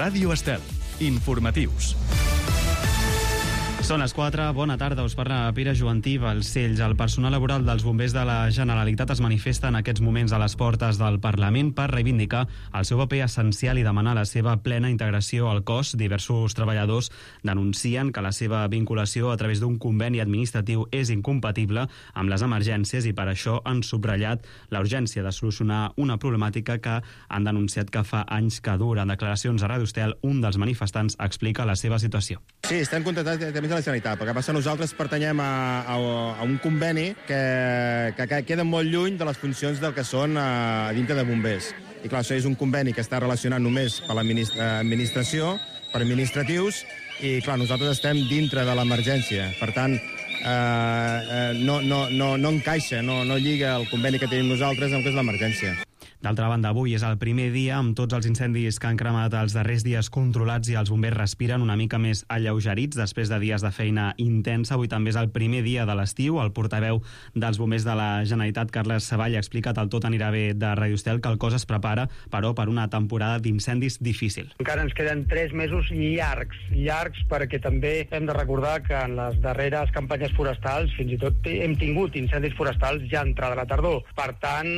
Ràdio Estel. Informatius. Són les 4, bona tarda, us parla Pere Joantí, Balcells. El personal laboral dels bombers de la Generalitat es manifesta en aquests moments a les portes del Parlament per reivindicar el seu paper essencial i demanar la seva plena integració al cos. Diversos treballadors denuncien que la seva vinculació a través d'un conveni administratiu és incompatible amb les emergències i per això han subratllat la urgència de solucionar una problemàtica que han denunciat que fa anys que dura. En declaracions a Ràdio Estel, un dels manifestants explica la seva situació. Sí, estem contractats també de la Generalitat, perquè passa nosaltres pertanyem a un conveni que queda molt lluny de les funcions del que són a dintre de bombers. I clar, això és un conveni que està relacionat només per l'administració, per administratius, i clar, nosaltres estem dintre de l'emergència. Per tant, no encaixa, no lliga el conveni que tenim nosaltres amb el que és l'emergència. D'altra banda, avui és el primer dia amb tots els incendis que han cremat els darrers dies controlats i els bombers respiren una mica més alleugerits després de dies de feina intensa. Avui també és el primer dia de l'estiu. El portaveu dels bombers de la Generalitat, Carles Savall, ha explicat al Tot anirà bé de Ràdio Estel que el cos es prepara, però, per una temporada d'incendis difícil. Encara ens queden 3 mesos llargs perquè també hem de recordar que en les darreres campanyes forestals fins i tot hem tingut incendis forestals ja entrada la tardor. Per tant,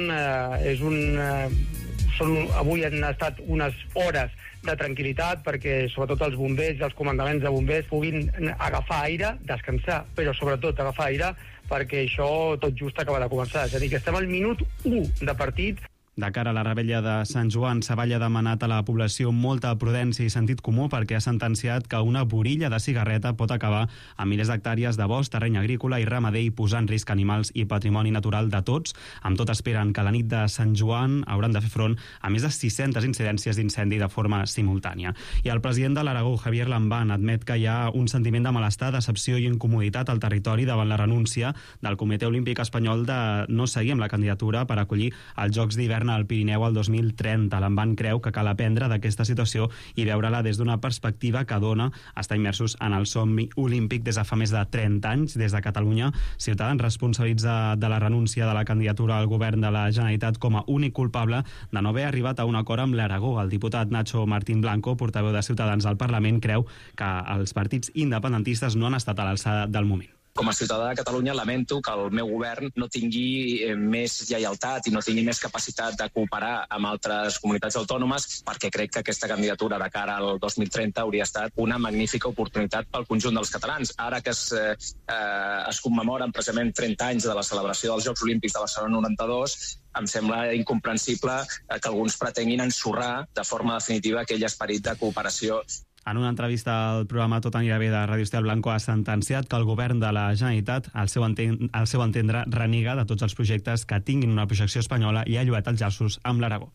avui han estat unes hores de tranquil·litat perquè sobretot els bombers i els comandaments de bombers puguin agafar aire, descansar, però sobretot agafar aire perquè això tot just acaba de començar. És a dir, que estem al minut 1 de partit. De cara a la revetlla de Sant Joan, Savall ha demanat a la població molta prudència i sentit comú perquè ha sentenciat que una borilla de cigarreta pot acabar amb milers d'hectàrees de bosc, terreny agrícola i ramader i posar en risc animals i patrimoni natural de tots. Amb tot esperen que la nit de Sant Joan hauran de fer front a més de 600 incidències d'incendi de forma simultània. I el president de l'Aragó, Javier Lambán, admet que hi ha un sentiment de malestar, decepció i incomoditat al territori davant la renúncia del Comitè Olímpic Espanyol de no seguir amb la candidatura per acollir els Jocs d'Hivern al Pirineu al 2030. Lambán creu que cal aprendre d'aquesta situació i veure-la des d'una perspectiva que dona estar immersos en el somni olímpic des de fa més de 30 anys. Des de Catalunya, Ciutadans responsabilitza de la renúncia de la candidatura al govern de la Generalitat com a únic culpable de no haver arribat a un acord amb l'Aragó. El diputat Nacho Martín Blanco, portaveu de Ciutadans al Parlament, creu que els partits independentistes no han estat a l'alçada del moment. Com a ciutadà de Catalunya lamento que el meu govern no tingui més lleialtat i no tingui més capacitat de cooperar amb altres comunitats autònomes, perquè crec que aquesta candidatura de cara al 2030 hauria estat una magnífica oportunitat pel conjunt dels catalans. Ara que es commemoren precisament 30 anys de la celebració dels Jocs Olímpics de Barcelona 92, em sembla incomprensible que alguns pretenguin ensorrar de forma definitiva aquell esperit de cooperació. En una entrevista al programa Tot anirà bé de Ràdio Estel, Blanco ha sentenciat que el govern de la Generalitat, al seu entendre, reniega de tots els projectes que tinguin una projecció espanyola i ha lloat els llaços amb l'Aragó.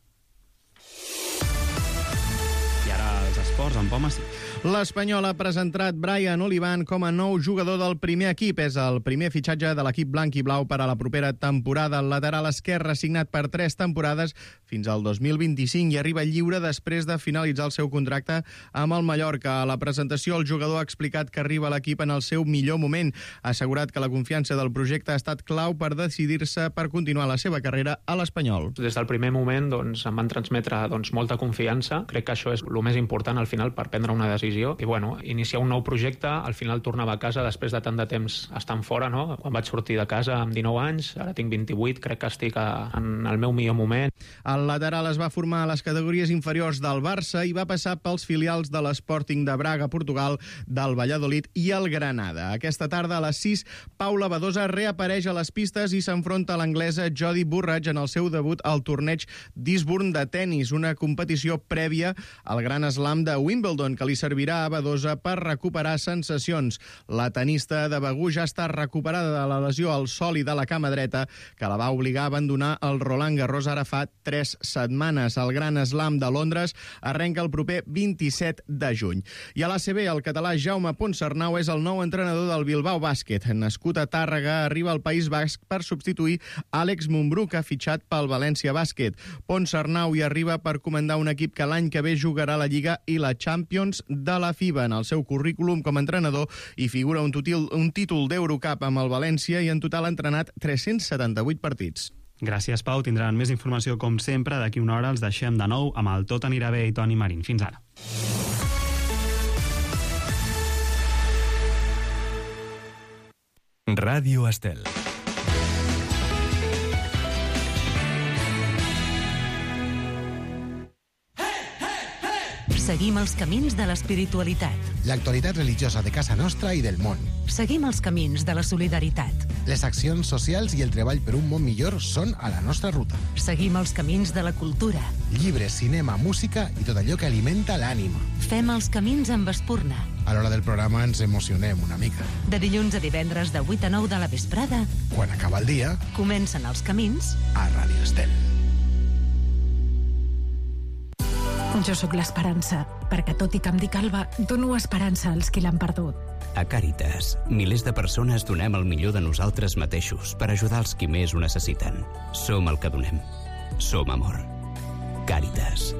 I ara els esports, en Poma sí. L'Espanyol ha presentat Brian Olivan com a nou jugador del primer equip. És el primer fitxatge de l'equip blanc i blau per a la propera temporada. El lateral esquerre signat per 3 temporades fins al 2025 i arriba lliure després de finalitzar el seu contracte amb el Mallorca. A la presentació, el jugador ha explicat que arriba a l'equip en el seu millor moment. Ha assegurat que la confiança del projecte ha estat clau per decidir-se per continuar la seva carrera a l'Espanyol. Des del primer moment em van transmetre molta confiança. Crec que això és el més important al final per prendre una decisió. I iniciar un nou projecte, al final tornava a casa després de tant de temps estant fora, no? Quan vaig sortir de casa amb 19 anys, ara tinc 28, crec que estic en el meu millor moment. El lateral es va formar a les categories inferiors del Barça i va passar pels filials de l'Sporting de Braga, Portugal, del Valladolid i el Granada. Aquesta tarda a les 6, Paula Badosa reapareix a les pistes i s'enfronta a l'anglesa Jodie Burrage en el seu debut al torneig d'Eastbourne de tennis, una competició prèvia al Gran Slam de Wimbledon que li servirà a Badosa per recuperar sensacions. La tenista de Begur ja està recuperada de la lesió al sòlid de la cama dreta que la va obligar a abandonar el Roland Garros ara fa 3 setmanes. El Gran Slam de Londres arrenca el proper 27 de juny. I a l'ACB, el català Jaume Ponsarnau és el nou entrenador del Bilbao Bàsquet. Nascut a Tàrrega, arriba al País Basc per substituir Àlex Mumbrú, que ha fitxat pel València Bàsquet. Ponsarnau hi arriba per comandar un equip que l'any que ve jugarà la Lliga i la Champions de la FIBA. En el seu currículum com a entrenador hi figura un títol d'Eurocup amb el València i en total ha entrenat 378 partits. Gràcies, Pau. Tindran més informació com sempre. D'aquí una hora els deixem de nou amb el Tot anirà bé i Toni Marín. Fins ara. Ràdio Estel. Seguim els camins de l'espiritualitat. L'actualitat religiosa de casa nostra i del món. Seguim els camins de la solidaritat. Les accions socials i el treball per un món millor són a la nostra ruta. Seguim els camins de la cultura. Llibres, cinema, música i tot allò que alimenta l'ànima. Fem els camins amb espurna. A l'hora del programa ens emocionem una mica. De dilluns a divendres de 8 a 9 de la vesprada, Quan acaba el dia, comencen els camins a Ràdio Estel. Jo sóc l'Esperança, perquè tot i que em dic Alba, dono esperança als qui l'han perdut. A Càritas, milers de persones donem el millor de nosaltres mateixos per ajudar els qui més ho necessiten. Som el que donem. Som amor. Càritas.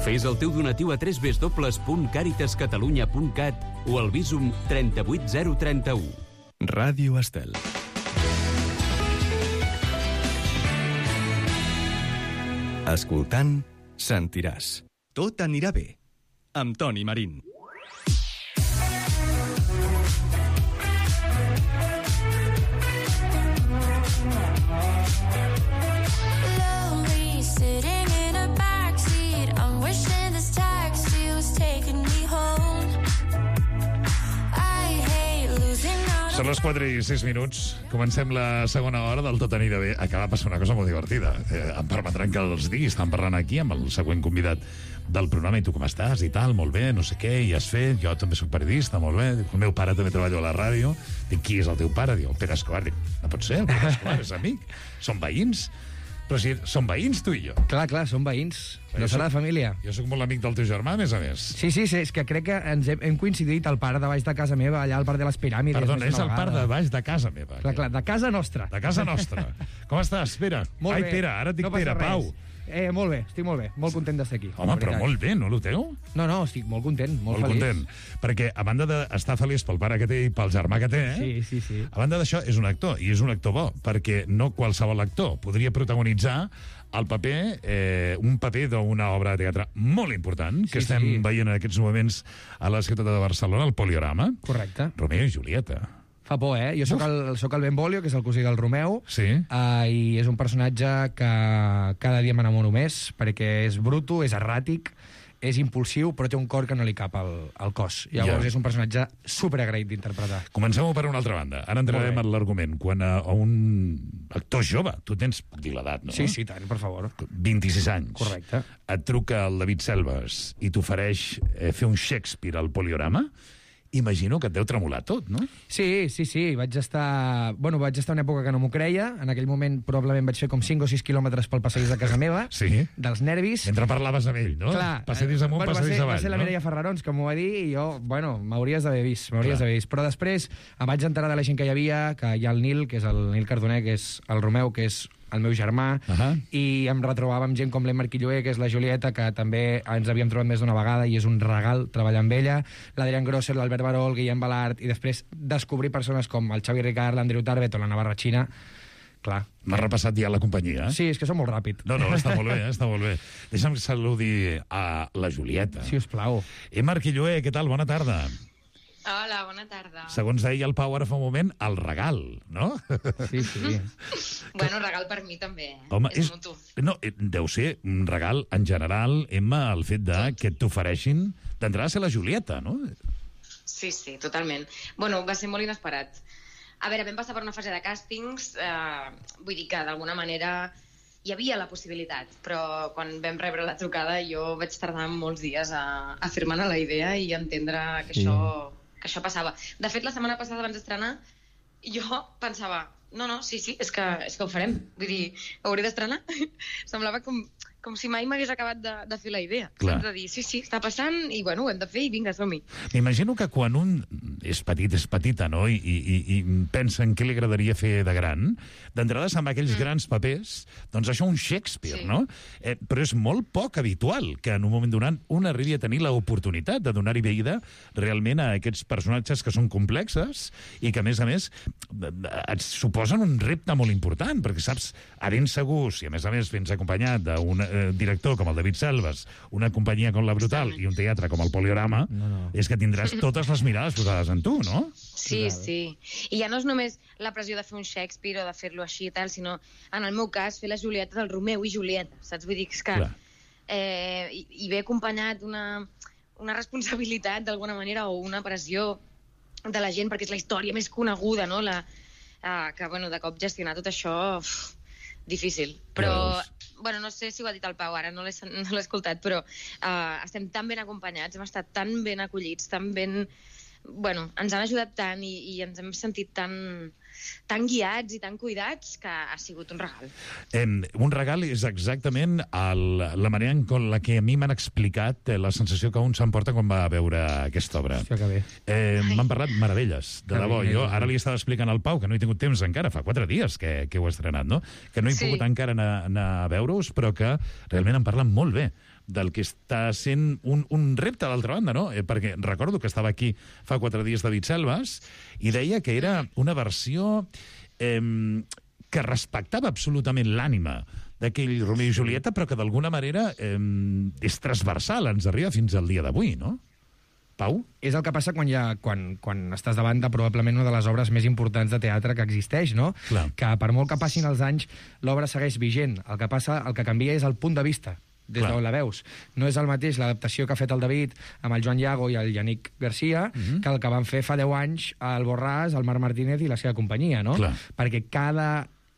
Fes el teu donatiu a www.caritascatalunya.cat o al Bizum 38031. Ràdio Estel. Escoltant, sentiràs. Tot anirà bé. Amb Toni Marín. Són les 4 i 6 minuts. Comencem la segona hora del Tot anirà bé. Acaba de passar una cosa molt divertida. Em permetran que els digui. Estan parlant aquí amb el següent convidat del programa. I tu com estàs? I tal, molt bé, no sé què, i has fet? Jo també soc periodista, molt bé. El meu pare també treballa a la ràdio. Dic, qui és el teu pare? Diu, el Pere Escobar. Dic, no pot ser, el Pere Escobar és amic. Són veïns. Però si som veïns, tu i jo. Clar, som veïns. No serà de família. Jo sóc molt amic del teu germà, a més a més. Sí, és que crec que ens hem coincidit al parc de baix de casa meva, allà al parc de les Piràmides. Perdona, és el parc de baix de casa meva. Clar, de casa nostra. De casa nostra. Com estàs, Pere? Molt bé. Ai, Pere, ara et dic Pere, Pau. Molt bé, estic molt bé. Molt content d'estar aquí. Home, però molt bé, no noteu? No, estic molt content, molt feliç. Content. Perquè, a banda d'estar feliç pel pare que té i pel germà que té, Sí. A banda d'això, és un actor, i és un actor bo, perquè no qualsevol actor podria protagonitzar el paper, un paper d'una obra de teatre molt important, que estem veient en aquests moments a la ciutat de Barcelona, el Poliorama. Correcte. Romeo i Julieta. Fa por, eh? Jo sóc el Benvolio, que és el cosí del Romeu, sí. I és un personatge que cada dia m'enamoro més, perquè és bruto, és erràtic, és impulsiu, però té un cor que no li cap al cos. Llavors és un personatge superagraït d'interpretar. Comencem-ho per una altra banda. Ara entrarem en l'argument. Quan a un actor jove, tu tens, puc dir l'edat, no? Sí, tant, per favor. 26 anys. Correcte. Et truca el David Selves i t'ofereix fer un Shakespeare al Poliorama, imagino que et deu tremolar tot, no? Sí. Vaig estar una època que no m'ho creia. En aquell moment probablement vaig fer com 5 o 6 quilòmetres pel passadís de casa meva, dels nervis. Mentre parlaves amb ell, no? Clar. Passadís amunt, passadís avall. Va ser la Mireia Ferrarons que m'ho va dir i jo, m'hauries d'haver vist. Però després em vaig enterar de la gent que hi havia, que hi ha el Nil, que és el Nil Cardoner, que és el Romeu, que és el meu germà, i em retrobava amb gent com l'Emma Arquilloé, que és la Julieta, que també ens havíem trobat més d'una vegada i és un regal treballar amb ella, l'Adrián Grosser, l'Albert Baró, el Guillem Balart, i després descobrir persones com el Xavi Ricard, l'Andreu Tarbet o la Navarra Xina. Clar. M'has repassat ja la companyia, Sí, és que som molt ràpid. No, està molt bé, està molt bé. Deixa'm saludar a la Julieta. Si us plau. Emma Arquilloé, què tal? Bona tarda. Hola, bona tarda. Segons deia el Pau ara fa un moment, el regal, no? Sí. Bueno, regal per mi també, Home, és mutu. No, deu ser un regal en general, Emma, el fet que t'ofereixin d'entrar a ser la Julieta, no? Sí, totalment. Bueno, va ser molt inesperat. A veure, vam passar per una fase de càstings, vull dir que d'alguna manera hi havia la possibilitat, però quan vam rebre la trucada jo vaig tardar molts dies a fer-me la idea i entendre que això passava. De fet, la setmana passada abans d'estrenar jo pensava, sí, és que ho farem. Vull dir, hauré d'estrenar. Semblava com si mai m'hagués acabat de fer la idea. Clar. De dir, sí, està passant i bueno, ho hem de fer i vinga, som-hi. M'imagino que quan un és petita, no?, i pensa en què li agradaria fer de gran, d'entrada se'n va aquells grans papers, doncs això un Shakespeare, no? Però és molt poc habitual que en un moment donat un arribi a tenir l'oportunitat de donar-hi vida realment a aquests personatges que són complexes i que, a més, et suposen un repte molt important, perquè saps, a ben segur, si a més vens acompanyat director com el David Selves, una companyia com la Brutal i un teatre com el Poliorama, és que tindràs totes les mirades posades en tu, no? Sí, sí. I ja no és només la pressió de fer un Shakespeare o de fer-lo així i tal, sinó, en el meu cas, fer la Julieta del Romeu i Julieta, saps? Vull dir que és que... I ve acompanyat una responsabilitat, d'alguna manera, o una pressió de la gent, perquè és la història més coneguda, no? Que, bueno, de cop gestionar tot això... difícil, però bueno, no sé si ho ha dit el Pau ara, no l'he escoltat, però estem tan ben acompanyats, hem estat tan ben acollits, tan ben... Bueno, ens han ajudat tant i ens hem sentit tan guiats i tan cuidats que ha sigut un regal. Un regal és exactament la manera en la que a mi m'han explicat la sensació que un s'emporta quan va a veure aquesta obra. Hòstia, que bé. M'han parlat meravelles, de debò. Jo ara li estava explicant al Pau, que no he tingut temps encara, fa 4 dies que ho he estrenat, no? Que no he pogut encara anar a veure-us, però que realment em parlen molt bé del que està sent un repte, d'altra banda, no? Perquè recordo que estava aquí fa 4 dies David Selves i deia que era una versió que respectava absolutament l'ànima d'aquell Romeu i Julieta, però que d'alguna manera és transversal, ens arriba fins al dia d'avui, no? Pau? És el que passa quan estàs davant de probablement una de les obres més importants de teatre que existeix, no? Clar. Que per molt que passin els anys, l'obra segueix vigent. El que canvia és el punt de vista des d'on la veus. No és el mateix l'adaptació que ha fet el David amb el Joan Llago i el Yannick Garcia que el que van fer fa 10 anys el Borràs, el Marc Martínez i la seva companyia, no? Clar. Perquè cada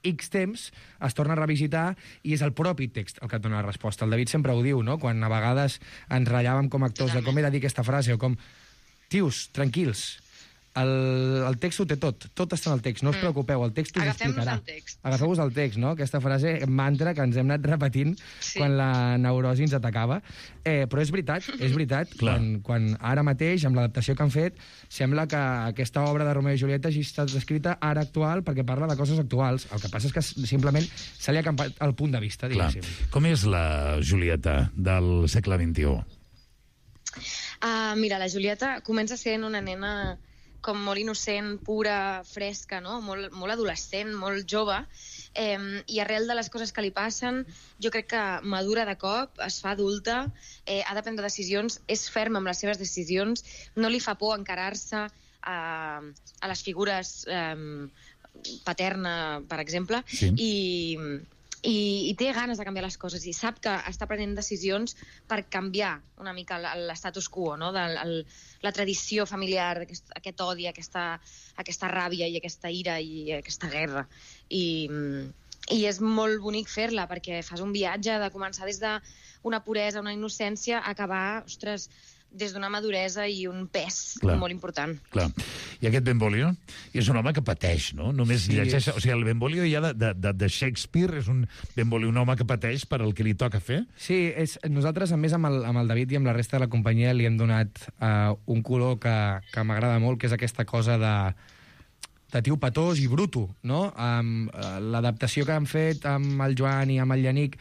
X temps es torna a revisitar i és el propi text el que et dona la resposta. El David sempre ho diu, no? Quan a vegades ens ratllàvem com a actors de com he de dir aquesta frase o com... Tios, tranquils, el text ho té tot està en el text, no us preocupeu, el text us explicarà. Agafeu-vos el text, no? Aquesta frase, mantra que ens hem anat repetint quan la neurosi ens atacava. Però és veritat, quan ara mateix, amb l'adaptació que han fet, sembla que aquesta obra de Romeu i Julieta hagi estat escrita ara actual perquè parla de coses actuals. El que passa és que simplement se li ha canviat el punt de vista, diguéssim. Com és la Julieta del segle XXI? Mira, la Julieta comença sent una nena com molt innocent, pura, fresca, no? Molt adolescent, molt jove, i arrel de les coses que li passen, jo crec que madura de cop, es fa adulta, ha de prendre decisions, és ferma amb les seves decisions, no li fa por encarar-se a les figures paterna, per exemple, i té ganes de canviar les coses i sap que està prenent decisions per canviar una mica l'estatus quo, no? La tradició familiar, aquest odi, aquesta ràbia i aquesta ira i aquesta guerra. I és molt bonic fer-la perquè fas un viatge de començar des d'una puresa, una innocència, a acabar, ostres, des d'una maduresa i un pes molt important. Clar. I aquest Benvolio és un home que pateix, no? Només llegeix... O sigui, el Benvolio ja de Shakespeare és un Benvolio, un home que pateix per el que li toca fer? Sí, nosaltres, a més, amb el David i amb la resta de la companyia li hem donat un color que m'agrada molt, que és aquesta cosa de tio petós i bruto, no? L'adaptació que han fet amb el Joan i amb el Yannick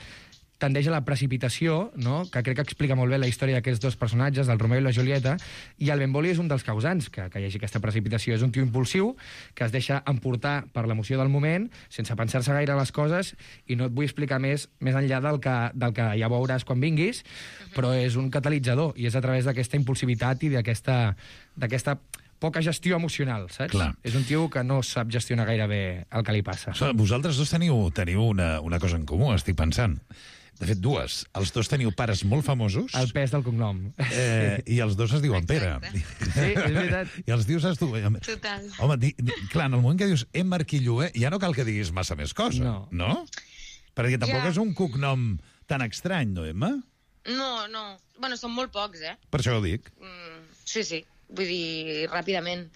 tendeix a la precipitació, no? Que crec que explica molt bé la història d'aquests dos personatges, del Romeu i la Julieta, i el Benvolio és un dels causants que hi hagi aquesta precipitació. És un tio impulsiu que es deixa emportar per l'emoció del moment, sense pensar-se gaire les coses, i no et vull explicar més enllà del que ja veuràs quan vinguis, però és un catalitzador, i és a través d'aquesta impulsivitat i d'aquesta poca gestió emocional, saps? Clar. És un tio que no sap gestionar gaire bé el que li passa. Vosaltres dos teniu una cosa en comú, estic pensant. De fet, dues. Els dos teniu pares molt famosos. El pes del cognom. I els dos es diuen Pere. Sí, és veritat. I els dius tu... Total. Home, clar, en el moment que dius Marquillué, ja no cal que diguis massa més cosa, no? Perquè tampoc és un cognom tan estrany, no, Emma? No. Bueno, són molt pocs, Per això ho dic. Sí. Vull dir, ràpidament.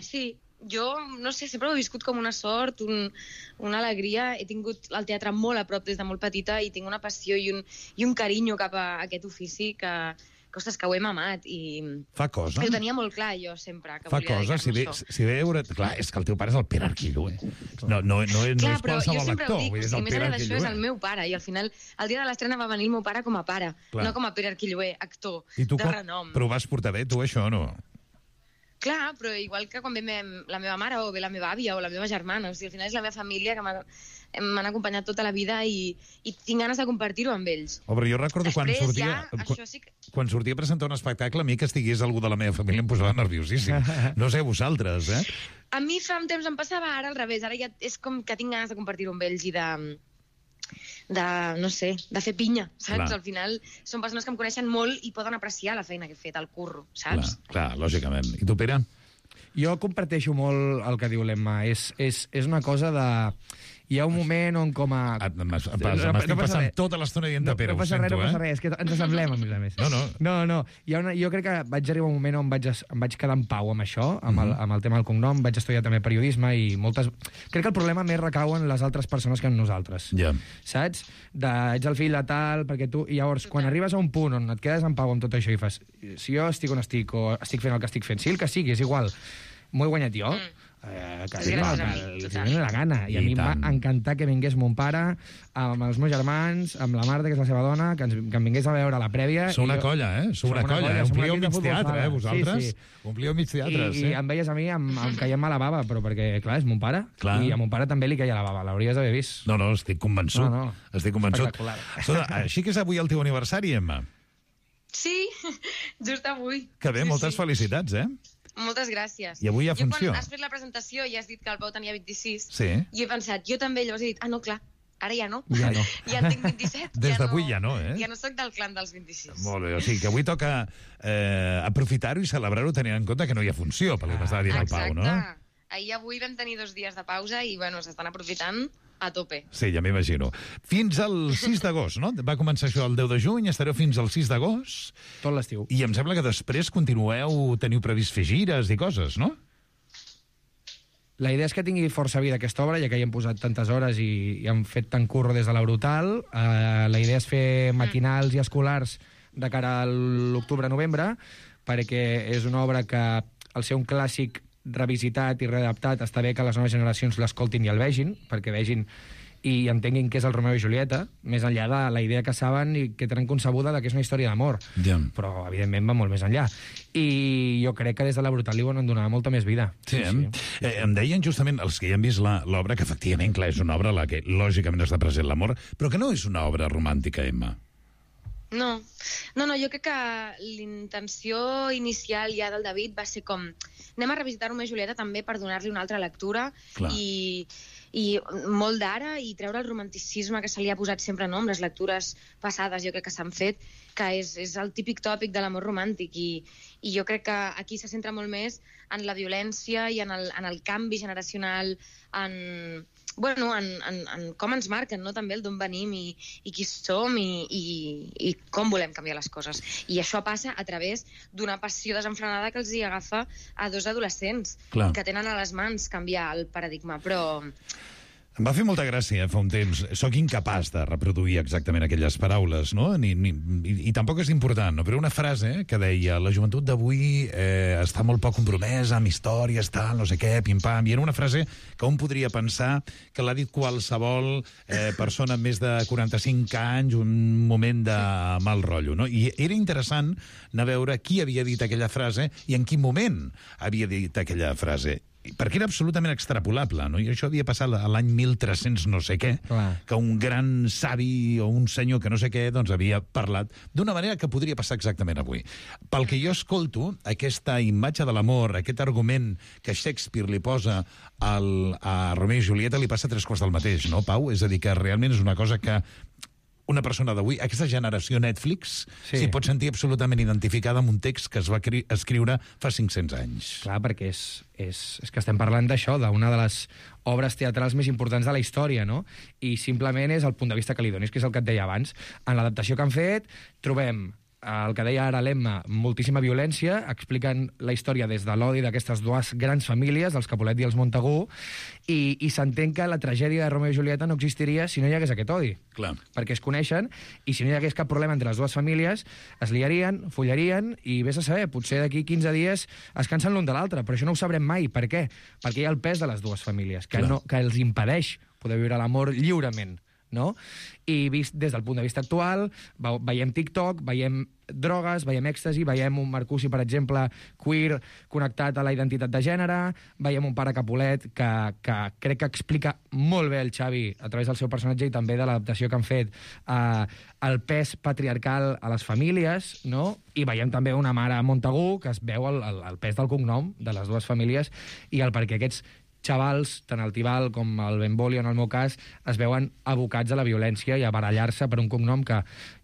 Sí, jo, no sé, sempre ho he viscut com una sort, una alegria. He tingut el teatre molt a prop des de molt petita i tinc una passió i un carinyo cap a aquest ofici que ostres, que ho hem amat. Fa cosa. Ho tenia molt clar, jo, sempre, que fa volia dedicar-me a això. Si veure... Clar, és que el teu pare és el Pere Arquillué. No és qualsevol actor. Clar, però jo sempre ho dic, més enllà d'això és el meu pare, i al final, el dia de l'estrena va venir el meu pare com a pare, no com a Pere Arquillué, actor de renom. Però ho vas portar bé, tu, això, o no? Clar, però igual que quan ve la meva mare o ve la meva àvia o la meva germana, o sigui, al final és la meva família que m'han acompanyat tota la vida i tinc ganes de compartir-ho amb ells. Oh, però jo recordo quan sortia a presentar un espectacle, a mi que estigués algú de la meva família em posava nerviosíssim. No sé, vosaltres, eh? A mi fa un temps em passava, ara al revés. Ara ja és com que tinc ganes de compartir-ho amb ells i no sé, de fer pinya, saps? Clar. Al final són persones que em coneixen molt i poden apreciar la feina que he fet, el curro, saps? Clar, lògicament. I tu, Pere? Jo comparteixo molt el que diu l'Emma. És una cosa de... Hi ha un moment on com a... M'estic passant tota l'estona dient de Pere, ho sento, No passa res, és que ens assemblem, a més a més. No. Jo crec que vaig arribar un moment on em vaig quedar en pau amb això, amb el tema del cognom, vaig estudiar també periodisme i moltes... Crec que el problema més recau en les altres persones que en nosaltres. Saps? Ets el fill de tal, perquè tu... I llavors, quan arribes a un punt on et quedes en pau amb tot això i fas... Si jo estic on estic, o estic fent el que estic fent, sí, el que sigui, és igual. M'ho he guanyat jo. Que li la gana. I a mi em va encantar que vingués mon pare amb els meus germans, amb la Marta, que és la seva dona, que em vingués a veure a la prèvia. Sou una colla, eh? Sou una colla. Omplíeu mig teatre, vosaltres? Omplíeu mig teatre, sí. I em veies a mi em caiem a la bava, però perquè, clar, és mon pare. I a mon pare també li caia la bava. L'hauries d'haver vist. No, estic convençut. Estic convençut. Així que és avui el teu aniversari, Emma? Sí, just avui. Que bé, moltes felicitats, eh? Moltes gràcies. I avui hi ha funció. Jo quan has fet la presentació i has dit que el Pau tenia 26, sí. I he pensat, jo també, llavors he dit, no, clar, ara ja no. Ja no. Ja en tinc 27. Des d'avui ja no, eh? Ja no soc del clan dels 26. Molt bé, o sigui que avui toca aprofitar-ho i celebrar-ho tenint en compte que no hi ha funció, pel que m'estava dient el Pau, no? Exacte. Ahir i avui vam tenir 2 dies de pausa i, bueno, s'estan aprofitant a tope. Sí, ja m'imagino. Fins al 6 d'agost, no? Va començar això el 10 de juny, estareu fins al 6 d'agost. Tot l'estiu. I em sembla que després teniu previst fer gires i coses, no? La idea és que tingui força vida aquesta obra, ja que hi hem posat tantes hores i hem fet tant curro des de la Brutal. La idea és fer matinals i escolars de cara a l'octubre-novembre, perquè és una obra que, al ser un clàssic revisitat i readaptat, està bé que les noves generacions l'escoltin i el vegin, perquè vegin i entenguin què és el Romeu i Julieta, més enllà de la idea que saben i que tenen concebuda que és una història d'amor. Però, evidentment, va molt més enllà. I jo crec que des de la Brutal li volen donar molta més vida. Sí. Em deien justament els que ja han vist l'obra que, efectivament, clar, és una obra a la que, lògicament, està present l'amor, però que no és una obra romàntica, Emma. No, jo crec que l'intenció inicial ja del David va ser com... Anem a revisitar Romeu i Julieta també per donar-li una altra lectura i molt d'ara i treure el romanticisme que se li ha posat sempre, no?, amb les lectures passades, jo crec que s'han fet, que és el típic tòpic de l'amor romàntic i jo crec que aquí se centra molt més en la violència i en el canvi generacional, en com ens marquen, no?, també el d'on venim i qui som i com volem canviar les coses. I això passa a través d'una passió desenfrenada que els hi agafa a 2 adolescents que tenen a les mans canviar el paradigma, però... Em va fer molta gràcia fa un temps. Soc incapaç de reproduir exactament aquelles paraules, no? I tampoc és important, no? Però una frase que deia la joventut d'avui està molt poc compromesa amb històries, tal, no sé què, pim-pam. I era una frase que un podria pensar que l'ha dit qualsevol persona amb més de 45 anys, un moment de mal rotllo, no? I era interessant anar a veure qui havia dit aquella frase i en quin moment havia dit aquella frase. Perquè era absolutament extrapolable, no? I això havia passat a l'any 1300 no sé què, que un gran savi o un senyor que no sé què doncs havia parlat d'una manera que podria passar exactament avui. Pel que jo escolto, aquesta imatge de l'amor, aquest argument que Shakespeare li posa a Romeu i Julieta li passa 3 quarts del mateix, no, Pau? És a dir, que realment és una cosa que una persona d'avui, aquesta generació Netflix, s'hi pot sentir absolutament identificada amb un text que es va escriure fa 500 anys. Clar, perquè és que estem parlant d'això, d'una de les obres teatrals més importants de la història, no? I simplement és el punt de vista que li donis, que és el que et deia abans. En l'adaptació que han fet, trobem el que deia ara l'Emma, moltíssima violència, expliquen la història des de l'odi d'aquestes 2 grans famílies, dels Capulet i els Montagu, i s'entén que la tragèdia de Romeu i Julieta no existiria si no hi hagués aquest odi. Clar. Perquè es coneixen, i si no hi hagués cap problema entre les 2 famílies, es liarien, follarien, i vés a saber, potser d'aquí 15 dies es cansen l'un de l'altre, però això no ho sabrem mai. Per què? Perquè hi ha el pes de les 2 famílies, que els impedeix poder viure l'amor lliurement. no? I vist des del punt de vista actual, veiem TikTok, veiem drogues, veiem èxtasi, veiem un Marcusi, per exemple, queer, connectat a la identitat de gènere, veiem un pare Capulet que crec que explica molt bé el Xavi a través del seu personatge i també de l'adaptació que han fet el pes patriarcal a les famílies, no? I veiem també una mare Montagu que es veu el pes del cognom de les dues famílies i el perquè aquests xavals, tant el Tibal com el Benvolio, en el meu cas, es veuen abocats a la violència i a barallar-se per un cognom que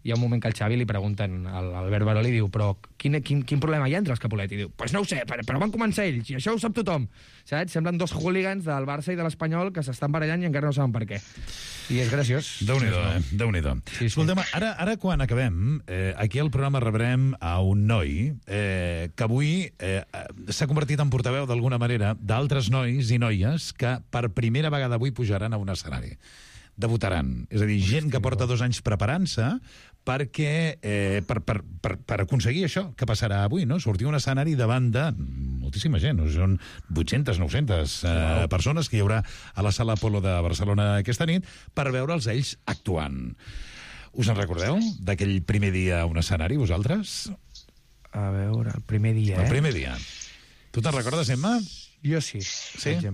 hi ha un moment que al Xavi li pregunten, l'Albert Baró li diu, però quin problema hi ha entre els Capulet? I diu, pues no ho sé, però van començar ells, i això ho sap tothom. Saps? Semblen dos hooligans del Barça i de l'Espanyol que s'estan barallant i encara no saben per què. I és graciós. Déu-n'hi-do, Déu-n'hi-do. Escolta'm, ara quan acabem, aquí al programa rebrem a un noi que avui s'ha convertit en portaveu d'alguna manera d'altres nois i noies que per primera vegada avui pujaran a un escenari. Debutaran. És a dir, gent que porta 2 anys preparant-se perquè per aconseguir això que passarà avui, no? Sortir a un escenari davant de moltíssima gent, no? Són 800, 900 persones que hi haurà a la Sala Apolo de Barcelona aquesta nit per veure'ls ells actuant. Us en recordeu d'aquell primer dia a un escenari, vosaltres? A veure, el primer dia, El primer dia. Tu te'n recordes, Emma? Jo sí.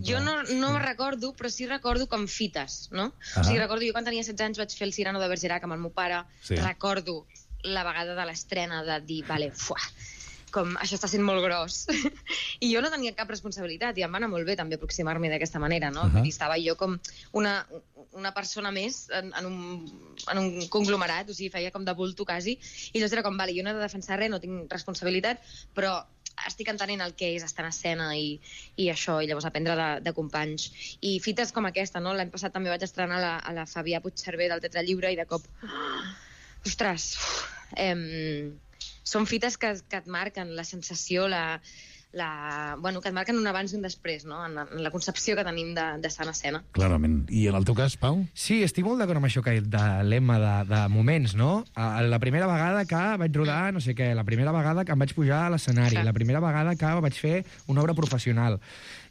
Jo no me recordo, però sí recordo com fites, no? O sigui, recordo, jo quan tenia 16 anys vaig fer el Cyrano de Bergerac amb el meu pare, recordo la vegada de l'estrena de dir, vale, com això està sent molt gros. I jo no tenia cap responsabilitat, i em va anar molt bé també aproximar-me d'aquesta manera, no? Vull dir, estava jo com una persona més en un conglomerat, o sigui, feia com de bulto quasi, i llavors era com, vale, jo no he de defensar res, no tinc responsabilitat, però estic entenent el que és estar en escena i això, i llavors aprendre de companys. I fites com aquesta, no? L'any passat també vaig estrenar a la Fabià Puigcerver del Teatre Lliure i de cop... Ostres! Són fites que et marquen la sensació, bueno, que et marquen un abans i un després, no? En la concepció que tenim d'estar en escena. Clarament. I en el teu cas, Pau? Sí, estic molt d'acord amb això que ha dit de l'Emma de moments, no? La primera vegada que vaig rodar no sé què, la primera vegada que em vaig pujar a l'escenari, la primera vegada que vaig fer una obra professional.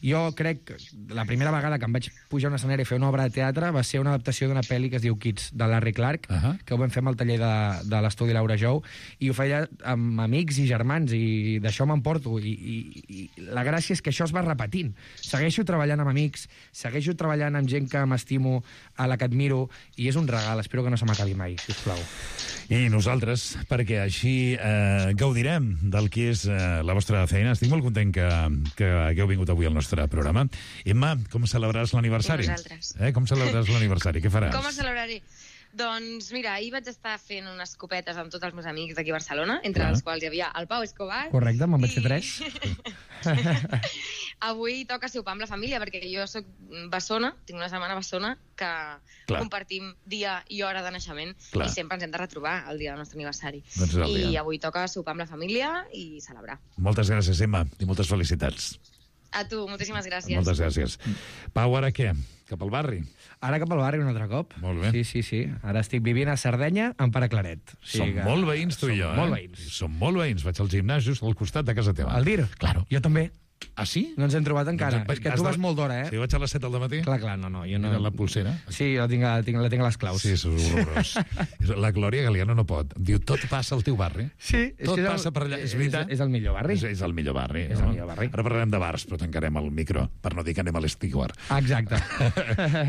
Jo crec que la primera vegada que em vaig pujar a un escenari a fer una obra de teatre va ser una adaptació d'una pel·li que es diu Kids, de Larry Clark, que ho vam fer amb el taller de l'estudi Laura Jou, i ho feia amb amics i germans, i d'això m'emporto. I la gràcia és que això es va repetint. Segueixo treballant amb amics, segueixo treballant amb gent que m'estimo, a la que admiro, i és un regal. Espero que no se m'acabi mai, sisplau. I nosaltres, perquè així gaudirem del que és la vostra feina. Estic molt content que hagueu vingut avui al nostre programa. Emma, com celebraràs l'aniversari? Com celebraràs l'aniversari? Què faràs? Com el celebraré? Doncs mira, ahir vaig estar fent unes copetes amb tots els meus amics d'aquí a Barcelona, entre els quals hi havia el Pau Escobar. Correcte, me'n vaig fer 3. Avui toca sopar amb la família, perquè jo soc bessona, tinc una setmana bessona, que compartim dia i hora de naixement, i sempre ens hem de retrobar el dia del nostre aniversari. I avui toca sopar amb la família i celebrar. Moltes gràcies, Emma, i moltes felicitats. A tu, moltíssimes gràcies. Moltes gràcies. Pau, ara què? Cap al barri? Ara cap al barri un altre cop. Molt bé. Sí. Ara estic vivint a Sardenya amb Pare Claret. Som molt veïns, tu i jo, Molt veïns. Som molt veïns. Vaig al gimnàs just al costat de casa teva. Al DIR? Claro. Jo també. Ah, sí? No ens hem trobat encara. És que tu vas molt d'hora, Sí, vaig a les 7 del matí? Clar, no. Jo no... Mira la pulsera? Sí, la tinc a les claus. Sí, és horrorós. La Glòria Galiano no pot. Diu, tot passa al teu barri. Sí. Tot passa per allà. És veritat? És el millor barri. És el millor barri. És el millor barri. Ara parlarem de bars, però tancarem el micro per no dir que anem a l'Estiguar. Exacte.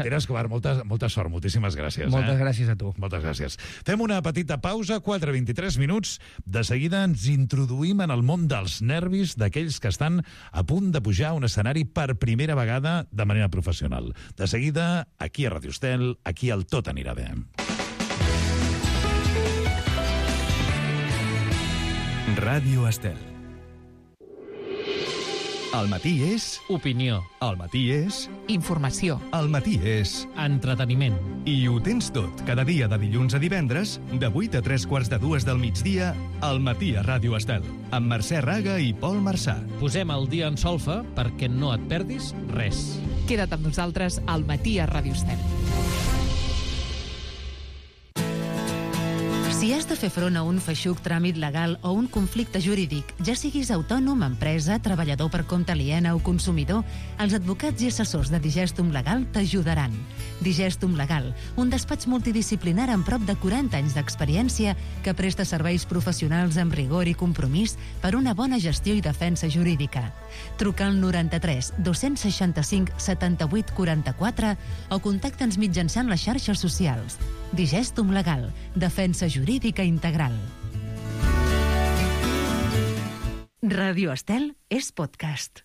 Pere Escobar, molta sort, moltíssimes gràcies. Moltes gràcies a tu. Moltes gràcies. Fem una petita pausa, 4:23 minuts. De seguida ens introduïm en el món dels nervis d'aquells que estan a punt de pujar a un escenari per primera vegada de manera professional. De seguida, aquí a Radio Estel, aquí al Tot anirà bé. Ràdio Estel. El matí és... Opinió. El matí és... Informació. El matí és... Entreteniment. I ho tens tot, cada dia de dilluns a divendres, de 8 a 3:45 del migdia, al matí a Ràdio Estel, amb Mercè Raga i Pol Marçà. Posem el dia en solfa perquè no et perdis res. Queda't amb nosaltres al matí a Ràdio Estel. Si has de fer front a un feixuc tràmit legal o un conflicte jurídic, ja siguis autònom, empresa, treballador per compte aliena o consumidor, els advocats i assessors de Digestum Legal t'ajudaran. Digestum Legal, un despatx multidisciplinar amb prop de 40 anys d'experiència que presta serveis professionals amb rigor i compromís per una bona gestió i defensa jurídica. Truca al 93 265 78 44 o contacta'ns mitjançant les xarxes socials. Digestum Legal, defensa jurídica integral. Ràdio Estel és podcast.